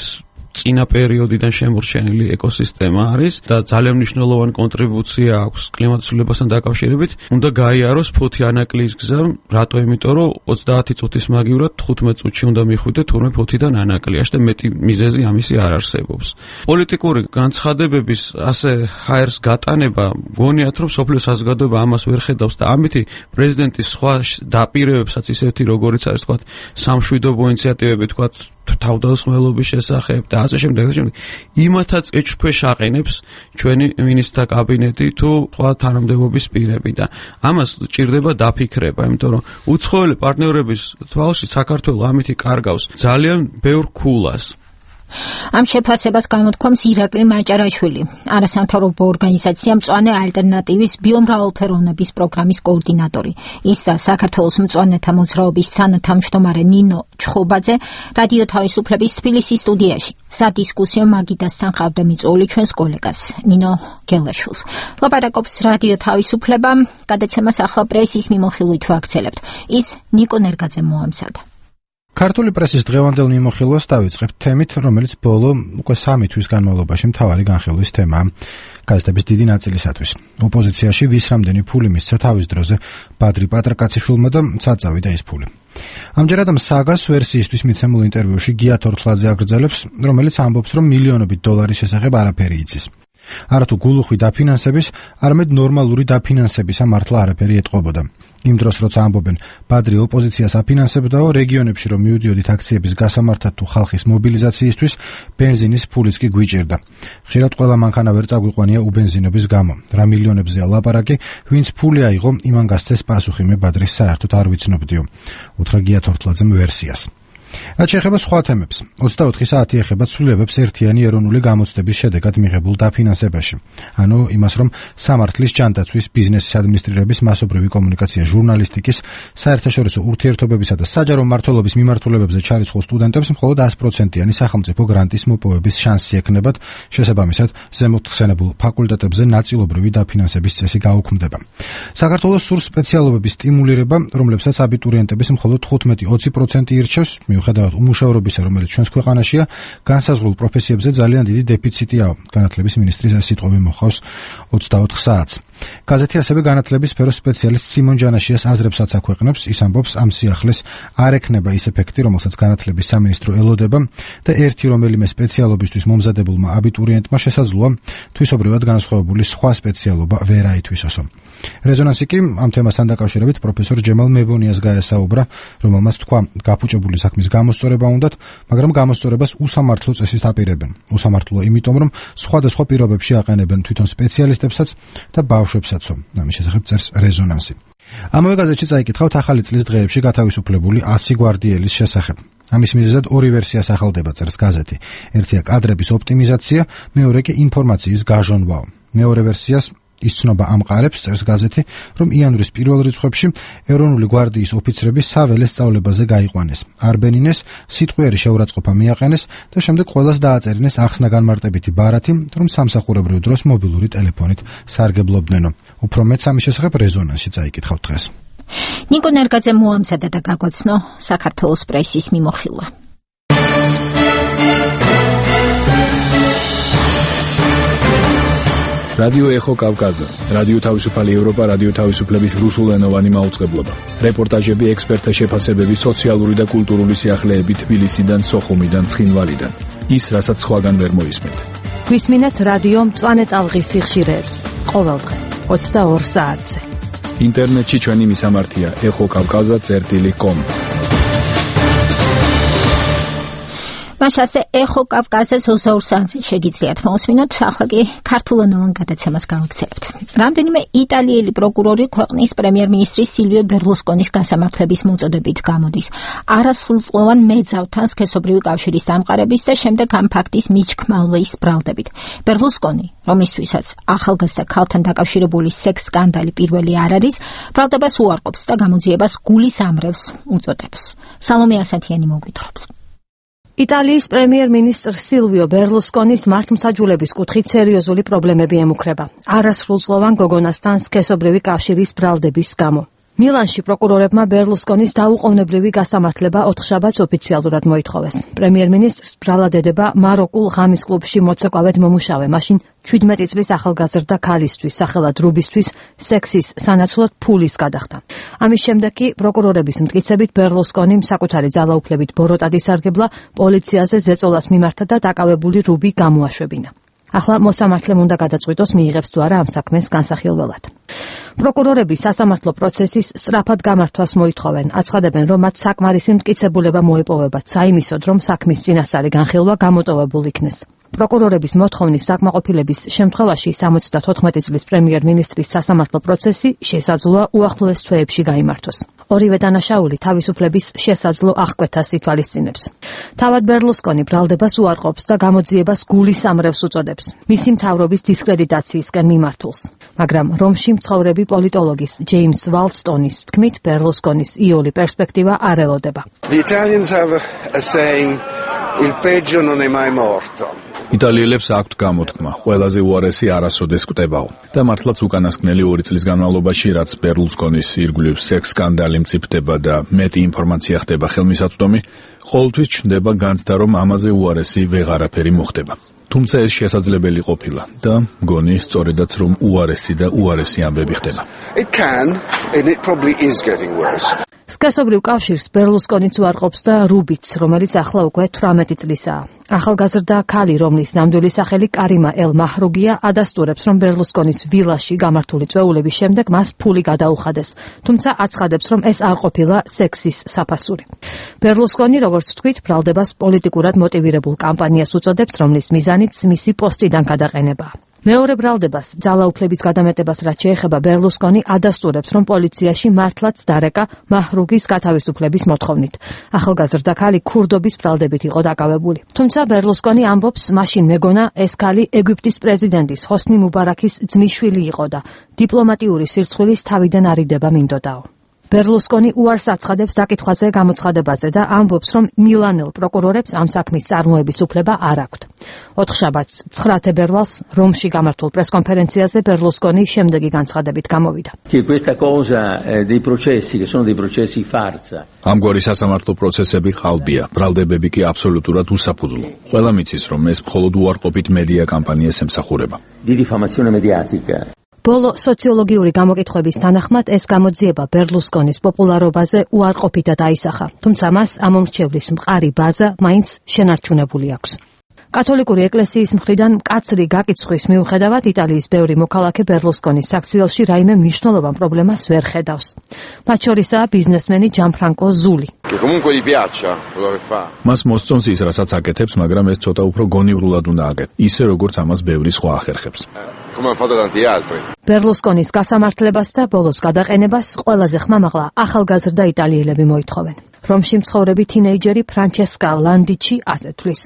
წინა პერიოდიდან შემორჩენილი ეკოსისტემა არის და ძალიან მნიშვნელოვანი კონტრიბუცია აქვს კლიმატის ცვლილებასთან დაკავშირებით, უნდა გაიაროს ფოთი ანაკლის გზა, რატო? იმიტომ რომ ოცდაათი წუთის მაგივრად თხუთმეტ წუთში უნდა მიხვიდე თურმე ფოთიდან ანაკლიაში და მეტი მიზეზი ამისი არ არსებობს. პოლიტიკური განცხადებების ასე ჰაერს გატანება, გონიათ რომ სოფლიო საზოგადოება ამას ვერ ხედავს და ამითი პრეზიდენტის სხვა დაპირებებსაც ისეთი როგორიც არის, თქვათ, სამშვიდობო ინიციატივები, თქვათ, თავდასხმელობის შესახებ და ასე შემდეგ და შემდეგ იმათაც ეჭვქვეშ აყენებს ჩვენი მინისტრთა კაბინეტი თუ სხვა თანამდებობის პირები და ამას ჭირდება დაფიქრება, იმიტომ რომ უცხოელი პარტნიორების თვალში საქართველო ამითი კარგავს ძალიან ბევრ ქულას. ამ შეფასებას გამოთქვამს ირაკლი მაჭარაშვილი, არასამთავრობო ორგანიზაცია მწვანე ალტერნატივის ბიომრავალფეროვნების პროგრამის კოორდინატორი. ის და საქართველოს მწვანეთა მოძრაობის თანათავმჯდომარე ნინო ჩხობაძე რადიო თავისუფლების თბილისის სტუდიაში სადისკუსიო მაგიდასთან ყავდა მიწვეული ჩვენს კოლეგას ნინო გელაშვილს. ლაპარაკობს რადიო თავისუფლება, გადაცემას ახლა პრესის მიმოხილვით ვაგრძელებთ. ის ნიკო ნერგაძემ მოამზადა. ქართული პრესის დღევანდელ მიმოხილვას დავიწყებთ თემით, რომელიც ბოლო უკვე სამი თვის განმავლობაში მთავარი განხილვის თემაა გაზეთების დიდი ნაწილისათვის. ოპოზიციაში ვის რამდენი ფული მისცა თავის დროზე ბადრი პატრაკაციშვილმა და საწავიდა ეს ფული. ამჯერად საგას ვერსიისთვის მიცემულ ინტერვიუში გია თორთლაძე აგრძელებს, რომელიც ამბობს, რომ მილიონობით დოლარის შესახებ არაფერი იცის. არათუ გულუხვი დაფინანსების, არამედ ნორმალური დაფინანსებისა მართლა არაფერი ეტყობოდა. იმ დროს, როცა ამბობენ, ბადრი ოპოზიციას აფინანსებდაო, რეგიონებში რომ მივიდიოდით აქციების გასამართად თუ ხალხის მობილიზაციისთვის, ბენზინის ფულიც კი გვიჭირდა. ხშირად ყველა მანქანა ვერ წაგვიყვანია უბენზინების გამო. რა მილიონებზეა ლაპარაკი, ვინც ფული აიღო, იმან გასცეს პასუხი, მე ბადრის საერთოდ არ ვიცნობდიო. უთხრა გია თორთლაძემ ვერსიას. რაც შეეხება სხვა თემებს, ოცდაოთხი საათი ეხება ცვლილებებს ერთიანი ეროვნული გამოცდების შედეგად მიღებულ დაფინანსებაში. ანუ იმას, რომ სამართლის, ჯანდაცვის, ბიზნესის ადმინისტრირების, მასობრივი კომუნიკაცია, ჟურნალისტიკის, საერთაშორისო ურთიერთობებისა და საჯარო მმართველობის მიმართულებებზე ჩარიცხულ სტუდენტებს მხოლოდ ას პროცენტიანი სახელმწიფო გრანტის მოპოვების შანსი ექნებათ, შესაბამისად, ზემოთ ხსენებულ ფაკულტეტებზე ნაწილობრივი დაფინანსების წესი გაუქმდება. საქართველოს სურს სპეციალობების სტიმულირება, რომლებსაც აბიტურიენტების მხოლოდ თხუთმეტი ოცი პროცენტი ირჩევს. მიუხედავად უმუშავრობისა, რომელიც ჩვენს ქვეყანაშია, განსაზღვრულ პროფესიებზე ძალიან დიდი დეფიციტიაო. განათლების მინისტრის ეს სიტყვები მოხავს ოცდაოთხ საათს. გაზეთი ასევე განათლების სფეროს სპეციალისტ სიმონ ჯანაშიას აზრებსაც აქვეყნებს. ის ამბობს, ამ სიახლეს არ ექნება ის ეფექტი, რომელსაც განათლების სამინისტრო ელოდება და ერთი რომელიმე სპეციალობისთვის მომზადებულმა აბიტურიენტმა შესაძლოა თვისობრივად განსხვავებული სხვა სპეციალობა ვერ აითვისოსო. რეზონანსი კი ამ თემასთან დაკავშირებით პროფესორ ჯემალ მებონიას გაესაუბრა, რომელმაც თქვა, გაფუჭებული საქმის გამოსწორება უნდათ, მაგრამ გამოსწორებას უსამართლო წესით აპირებენ. უსამართლოა იმიტომ, რომ სხვადასხვა პირობებში აყენებენ თვითონ სპეციალისტებსაც და ბავშვებსაცო. ამის შესახებ წერს რეზონანსი. ამავე გაზეთში წაიკითხავთ ახალი წლის დღეებში გათავისუფლებული ასი გვარდიელის შესახებ. ამის მიზეზად ორი ვერსია სახელდება, წერს გაზეთი. ერთია კადრების ოპტიმიზაცია, მეორე კი ინფორმაციის გაჟონვაო. მეორე ვერსიას ის ცნობა ამყარებს, წერს გაზეთი, რომ იანვრის პირველ რიცხვებში ეროვნული გვარდიის ოფიცრები საველე სწავლებაზე გაიყვანეს. არბენინეს სიტყვიერი შეურაცხყოფა მიაყენეს და შემდეგ ყველას დააწერინეს ახსნა განმარტებითი ბარათი, რომ სამსახურებრივ დროს მობილური ტელეფონით სარგებლობდნენო. უფრო მეც ამის შესახებ რეზონანსში წაიკითხავთ დღეს. ნიკო ნერგაძე მოამზადა და გაგვაცნო საქართველოს პრესის მიმოხილვა. რადიო ეხო კავკაზა, რადიო თავისუფალი ევროპა, რადიო თავისუფლების რუსულენოვანი მაუწყებლობა. რეპორტაჟები, ექსპერტთა შეფასებები, სოციალური და კულტურული სიახლეები თბილისიდან, სოხუმიდან, ცხინვალიდან. ის, რასაც სხვაგან ვერ მოისმენთ. გვისმინეთ რადიო მწვანე ტალღის სიხშირეებს. ყოველდღე ოცდაორ საათზე. ინტერნეტში ჩვენი მისამართია ეხო კავკაზა წერტილი კომ. მაშასე ეხო კავკაზას ოცდაორ საათზე შეგიძლიათ მოусმინოთ, ახლა კი ქართულენოვან გადაცემას გავაგზავნებთ. რამდენიმე იტალიელი პროკურორი ქვეყნის პრემიერ-მინისტრის სილვიო ბერლუსკონის გასამართლების მოწოდებით გამოდის. არასრულწლოვან მეძავთან სქესობრივი კავშირის დამყარების და შემდეგ ამ ფაქტის მიჩქმალვის ბრალდებით. ბერლუსკონი, რომლისთვისაც ახალგაზრდა ქალთან დაკავშირებული სექს სკანდალი პირველი არ არის, ბრალდებას უარყოფს და გამოძიებას გულის ამრევს უწოდებს. სალომე ასათიანი მოგვითხრობს. იტალიის პრემიერ-მინისტრ სილვიო ბერლუსკონის მართლმსაჯულების კუთხით სერიოზული პრობლემები ემუქრება. არასრულწლოვან გოგონასთან სქესობრივი კავშირის ბრალდების გამო. მილანში პროკურორებმა ბერლუსკონის დაუყოვნებლივი გასამართლება ოთხშაბათს ოფიციალურად მოითხოვეს. პრემიერ-მინისტრს ბრალადედება მაროკულ ღამის კლუბში მოცეკვავედ მომუშავე, მაშინ ჩვიდმეტი წლის ახალგაზრდა ქალისთვის, სახელად რუბისთვის, სექსის სანაცვლოდ ფულის გადახდა. ამის შემდეგ კი პროკურორების მტკიცებით ბერლუსკონიმ საკუთარი ძალაუფლებით ბოროტად ისარგებლა, პოლიციაზე ზეწოლას მიმართა და დაკავებული რუბი გამოაშვებინა. ახლა მოსამართლემ უნდა გადაწყვიტოს მიიღებს თუ არა ამ საქმეს განსახილველად. პროკურორები სასამართლო პროცესის სწრაფად გამართვას მოითხოვენ, აცხადებენ, რომ მათ საკმარისი მტკიცებულება მოეპოვებათ საიმისოდ, რომ საქმის წინასწარი განხილვა გამოტოვებულ იქნეს. პროკურორების მოთხოვნის დაკმაყოფილების შემთხვევაში სამოცდათოთხმეტი წლის პრემიერ-მინისტრის სასამართლო პროცესი შესაძლოა უახლოეს თვეებში გაიმართოს. ორივე დანაშაული თავისუფლების შესაძლო აღკვეთას ითვალისწინებს. თავად ბერლუსკონი ბრალდებას უარყოფს და გამოძიებას გულის ამრევს უწოდებს, მისი მთავრობის დისკრედიტაციისკენ მიმართულს. მაგრამ რომში მცხოვრები პოლიტოლოგის ჯეიმს ვალსტონის თქმით, ბერლუსკონის იოლი პერსპექტივა არ ელოდება. The Italians have a saying, il peggio non è mai morto. იტალიელებს აქვთ გამოთქმა, ყველაზე უარესი არასოდეს კვდებაო. და მართლაც უკანასკნელი ორი წლის განმავლობაში, რაც ბერლუსკონის ირგვლივ სექს სკანდალი მწიფდება და მეტი ინფორმაცია ხდება ხელმისაწვდომი, ყოველთვის ჩნდება განცდა, რომ ამაზე უარესი ვეღარაფერი მოხდება. თუმცა ეს შესაძლებელი ყოფილა და მგონი სწორედაც რომ უარესი და უარესი ამბები ხდება. It can and it probably is getting worse. სქესობრივ კავშირს ბერლუსკონიც უარყოფს და რუბიც, რომელიც ახლა უკვე თვრამეტი წლისაა. ახალგაზრდა ქალი, რომლის ნამდვილი სახელი კარიმა ელ მაჰრუგია, ადასტურებს, რომ ბერლუსკონის ვილაში გამართული წვეულების შემდეგ მას ფული გადაუხადეს, თუმცა აცხადებს, რომ ეს არ ყოფილა სექსის საფასური. ბერლუსკონი, როგორც თქვით, ბრალდებას პოლიტიკურად მოტივირებულ კამპანიას უწოდებს, რომლის მიზანიც მისი პოსტიდან გადაყენებაა. მეორე ბრალდებას, ძალაუფლების გადამეტებას რაც შეეხება, ბერლუსკონი ადასტურებს, რომ პოლიციაში მართლაც დარეკა მაჰრუგის გათავისუფლების მოთხოვნით. ახალგაზრდა ქალი ქურდობის ბრალდებით იყო დაკავებული. თუმცა ბერლუსკონი ამბობს, მაშინ მეგონა ეს ქალი ეგვიპტის პრეზიდენტის ჰოსნი მუბარაქის ძმისშვილი იყო და დიპლომატიური სირცხვილის თავიდან არიდება მინდოდაო. ბერლუსკონი უარს აცხადებს დაკითხვაზე გამოცხადებაზე და ამბობს, რომ მილანელ პროკურორებს ამ საქმის წარმოების უფლება არ აქვთ. ოთხშაბათს ცხრა თებერვალს რომში გამართულ პრესკონფერენციაზე ბერლუსკონი შემდეგი განცხადებით გამოვიდა. ამგვარი სასამართლო პროცესები ხალბია, ბრალდებები კი აბსოლუტურად უსაფუძვლო. ყველა მიცის, რომ ეს მხოლოდ უარყოფით მედია კამპანიას ემსახურება. ბოლო სოციოლოგიური გამოკითხვების თანახმად ეს გამოძიება ბერლუსკონის პოპულარობაზე უარყოფითად აისახა, თუმცა მას ამომრჩევლის მყარი ბაზა მაინც შენარჩუნებული აქვს. კათოლიკური ეკლესიის მხრიდან მკაცრი გაკიცხვის მიუხედავად იტალიის ბევრი მოქალაქე ბერლუსკონის საქციელში რაიმე მნიშვნელოვან პრობლემას ვერ ხედავს. მათ შორისაა ბიზნესმენი ჯანფრანკო ზული. მას მოსწონს ის, რასაც აკეთებს, მაგრამ ეს ცოტა უფრო გონივრულად უნდა აკეთოს, ისე როგორც ამას ბევრი სხვა ახერხებს. ბერლუსკონის გასამართლებას და ბოლოს გადაყენებას ყველაზე ხმამაღლა ახალგაზრდა იტალიელები მოითხოვენ. რომში მცხოვრები თინეიჯერი ფრანჩესკა ლანდიჩი ასე თვლის.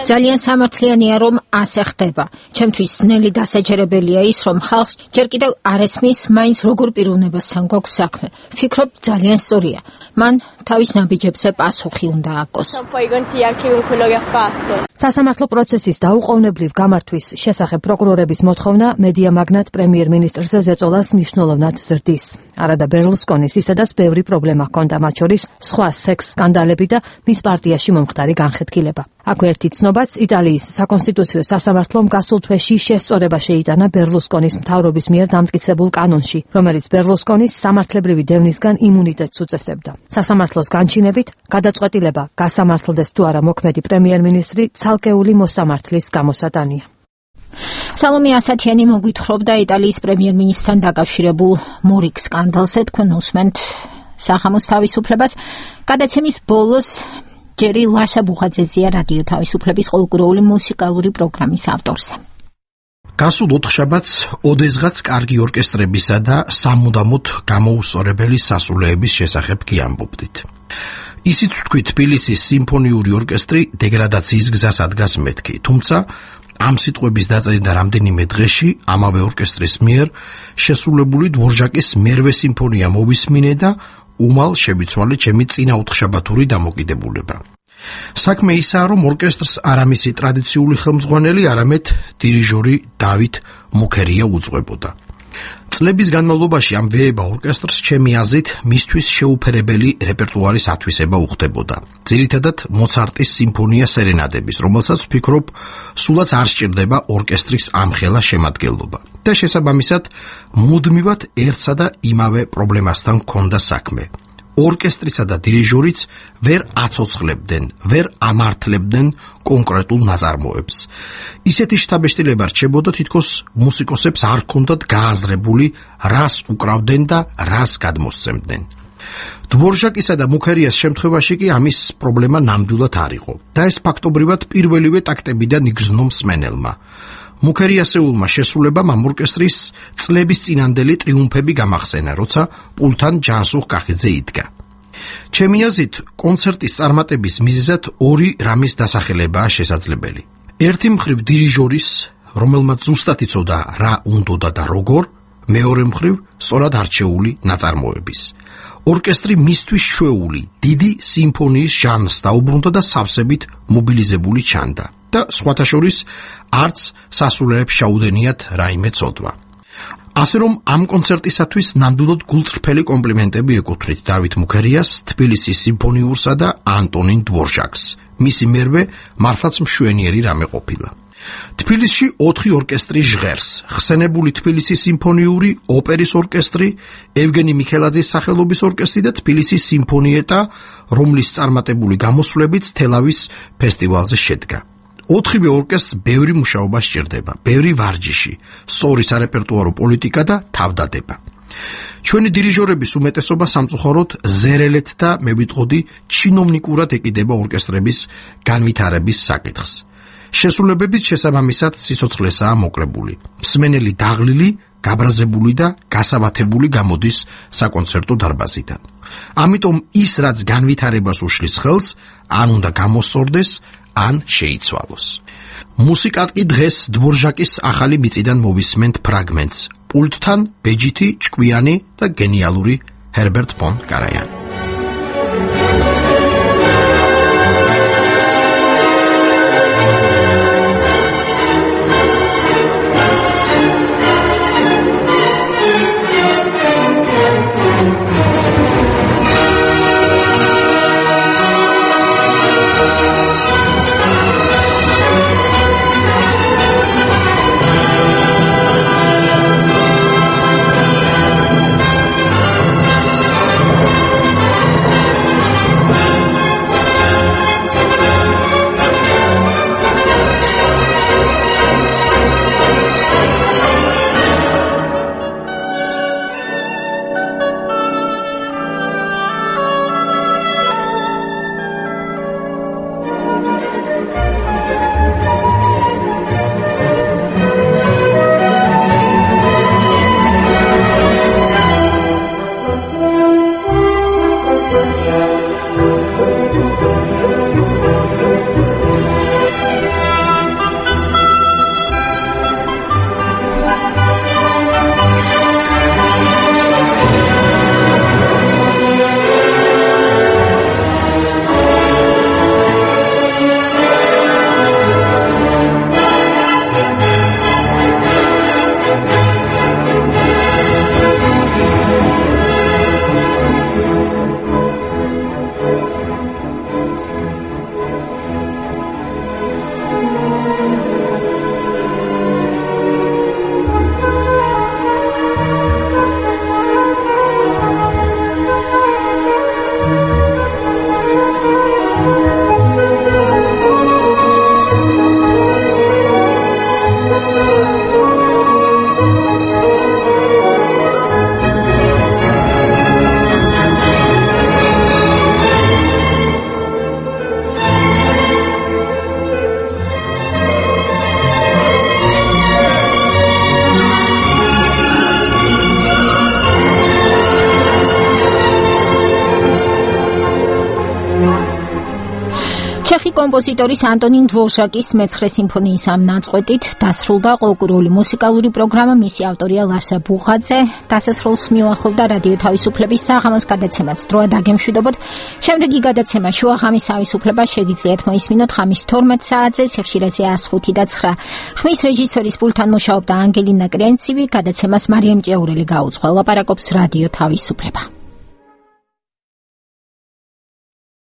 ძალიან სამართლიანია, რომ ასე ხდება. ჩემთვის ძნელი დასაჯერებელია ის, რომ ხალხს ჯერ კიდევ არ ესმის, მაინც როგორ პიროვნებასთან გვაქვს საქმე. ვფიქრობ, ძალიან სწორია. მან თავის ნაბიჯებზე პასუხი უნდა აკოს. სასამართლო პროცესის დაუყოვნებლივ გამართვის შესახებ პროკურორების მოთხოვნა მედია მაგნატ პრემიერ-მინისტრზე ზეწოლას მნიშვნელოვნად ზრდის. არადა ბერლუსკონის ისედაც ბევრი პრობლემა ჰქონდა, მათ შორის სხვა სექს სკანდალები და მის პარტიაში მომხდარი განხეთქილება. აქვე ერთი ცნობაც იტალიის საკონსტიტუციო სასამართლომ გასულ თვეში შესწორება შეიტანა ბერლუსკონის მთავრობის მიერ დამტკიცებულ კანონში, რომელიც ბერლუსკონის სამართლებრივი დევნისგან იმუნიტეტს უწესებდა. სასამართლოს განჩინებით გადაწყვეტილება გასამართლდეს თუ არა მოქმედი პრემიერ-მინისტრი ცალკეული მოსამართლის გამოსატანია. სალომე ასათიანი მოგვითხრობდა იტალიის პრემიერ-მინისტრთან დაკავშირებულ მორიგ სკანდალზე. თქვენ უსმენთ სახამოს თავისუფლებას. გადაცემის ბოლოს ჯერი ლაშა ბუხაძეზია რადიო თავისუფლების ყოველკვირეული მუსიკალური პროგრამის ავტორზე. გასულ ოთხშაბათს ოდესღაც კარგი ორკესტრებისა და სამუდამოდ გამოუსწორებელი სასულეების შესახებ კი ამბობდით. ისიც თქვი თბილისის სიმფონიური ორკესტრი დეგრადაციის გზას ადგას მეთქი, თუმცა ამ სიტყვების დაწერიდან რამდენიმე დღეში ამავე ორკესტრის მიერ შესრულებული დვორჟაკის მერვე სიმფონია მოვისმინე და უმალ შევიცვალე ჩემი წინა ოთხშაბათური დამოკიდებულება. საქმე ისაა, რომ ორკესტრს არა მისი ტრადიციული ხელმძღვანელი, არამედ დირიჟორი დავით მუქერია უძღვებოდა. წლების განმავლობაში ამ ვეება ორკესტრს ჩემი აზრით მისთვის შეუფერებელი რეპერტუარის ათვისება უხდებოდა. ძირითადად მოცარტის სიმფონია სერენადების, რომელსაც ვფიქრობ, სულაც არ სჭირდება ორკესტრის ამხელა შემადგენლობა. და შესაბამისად, მუდმივად ერთსა და იმავე პრობლემასთან ჰქონდა საქმე. ორკესტრისა და დირიჟორიც ვერ აცოცხლებდნენ, ვერ ამართლებდნენ კონკრეტულ ნაწარმოებს. ისეთი შთაბეჭდილება რჩებოდა, თითქოს მუსიკოსებს არ ჰქონდათ გააზრებული, რას უკრავდნენ და რას გადმოსცემდნენ. დვორჟაკისა და მუქერიას შემთხვევაში კი ამის პრობლემა ნამდვილად არ იყო და ეს ფაქტობრივად პირველივე ტაქტებიდან იგრძნო მსმენელმა. მუქერიასეულმა შესრულებამ ამ ორკესტრის წლების წინანდელი ტრიუმფები გამახსენა, როცა პულთან ჯანსუღ კახიძე იდგა. ჩემი აზრით, კონცერტის წარმატების მიზეზად ორი რამის დასახელებაა შესაძლებელი. ერთი მხრივ დირიჟორის, რომელმაც ზუსტად იცოდა რა უნდოდა და როგორ, მეორე მხრივ სწორად არჩეული ნაწარმოების. ორკესტრი მისთვის შვეული, დიდი სიმფონიის ჟანრს დაუბრუნდა და სავსებით მობილიზებული ჩანდა. და სხვათა შორის არც სასულეებს შეუდენიათ რაიმე ცოდვა. ასე რომ ამ კონცერტისათვის ნამდვილად გულწრფელი კომპლიმენტები ეკუთვნით დავით მუქერიას, თბილისის სიმფონიურსა და ანტონინ დვორჟაკს. მისი მერვე მართლაც მშვენიერი რამე ყოფილა. თბილისში ოთხი ორკესტრი ჟღერს: ხსენებული თბილისის სიმფონიური, ოპერის ორკესტრი, ევგენი მიქელაძის სახელობის ორკესტრი და თბილისის სიმფონიეტა, რომლის წარმატებული გამოსვლებიც თელავის ფესტივალზე შედგა. ოთხივე ორკესტრს ბევრი მუშაობა სჭირდება, ბევრი ვარჯიში, სწორი სარეპერტუარო პოლიტიკა და თავდადება. ჩვენი დირიჟორების უმეტესობა სამწუხაროდ ზერელეთ და მე ვიტყოდი ჩინოვნიკურად ეკიდება ორკესტრების განვითარების საკითხს. შესრულებებით შესაბამისად სიცოცხლესაა მოკლებული. მსმენელი დაღლილი, გაბრაზებული და გასავათებული გამოდის საკონცერტო დარბაზიდან. ამიტომ ის, რაც განვითარებას უშლის ხელს, ან უნდა გამოსწორდეს, ან შეიცვალოს. მუსიკად კი დღეს დვორჟაკის ახალი მიწიდან მოვისმენთ ფრაგმენტს. პულტთან ბეჯითი, ჭკვიანი და გენიალური ჰერბერტ ფონ კარაიანი. ჩეხი კომპოზიტორის ანტონინ დვორჟაკის მეცხრე სიმფონიის ამ ნაწყვეტით დასრულდა ყოლკურული მუსიკალური პროგრამა. მისი ავტორია ლაშა ბუღაძე. დასასრულს მიუახლოვდა რადიო თავისუფლების საღამოს გადაცემაც. დროა დაგემშვიდობოთ. შემდეგი გადაცემა შუაღამის თავისუფლება შეგიძლიათ მოისმინოთ ხამის თორმეტ საათზე სიხშირეზე ას ხუთი და ცხრა. ხმის რეჟისორის პულტთან მუშაობდა ანგელინა კრენცივი. გადაცემას მარიამ ჭეურელი გაუძღვა. ლაპარაკობს რადიო თავისუფლება.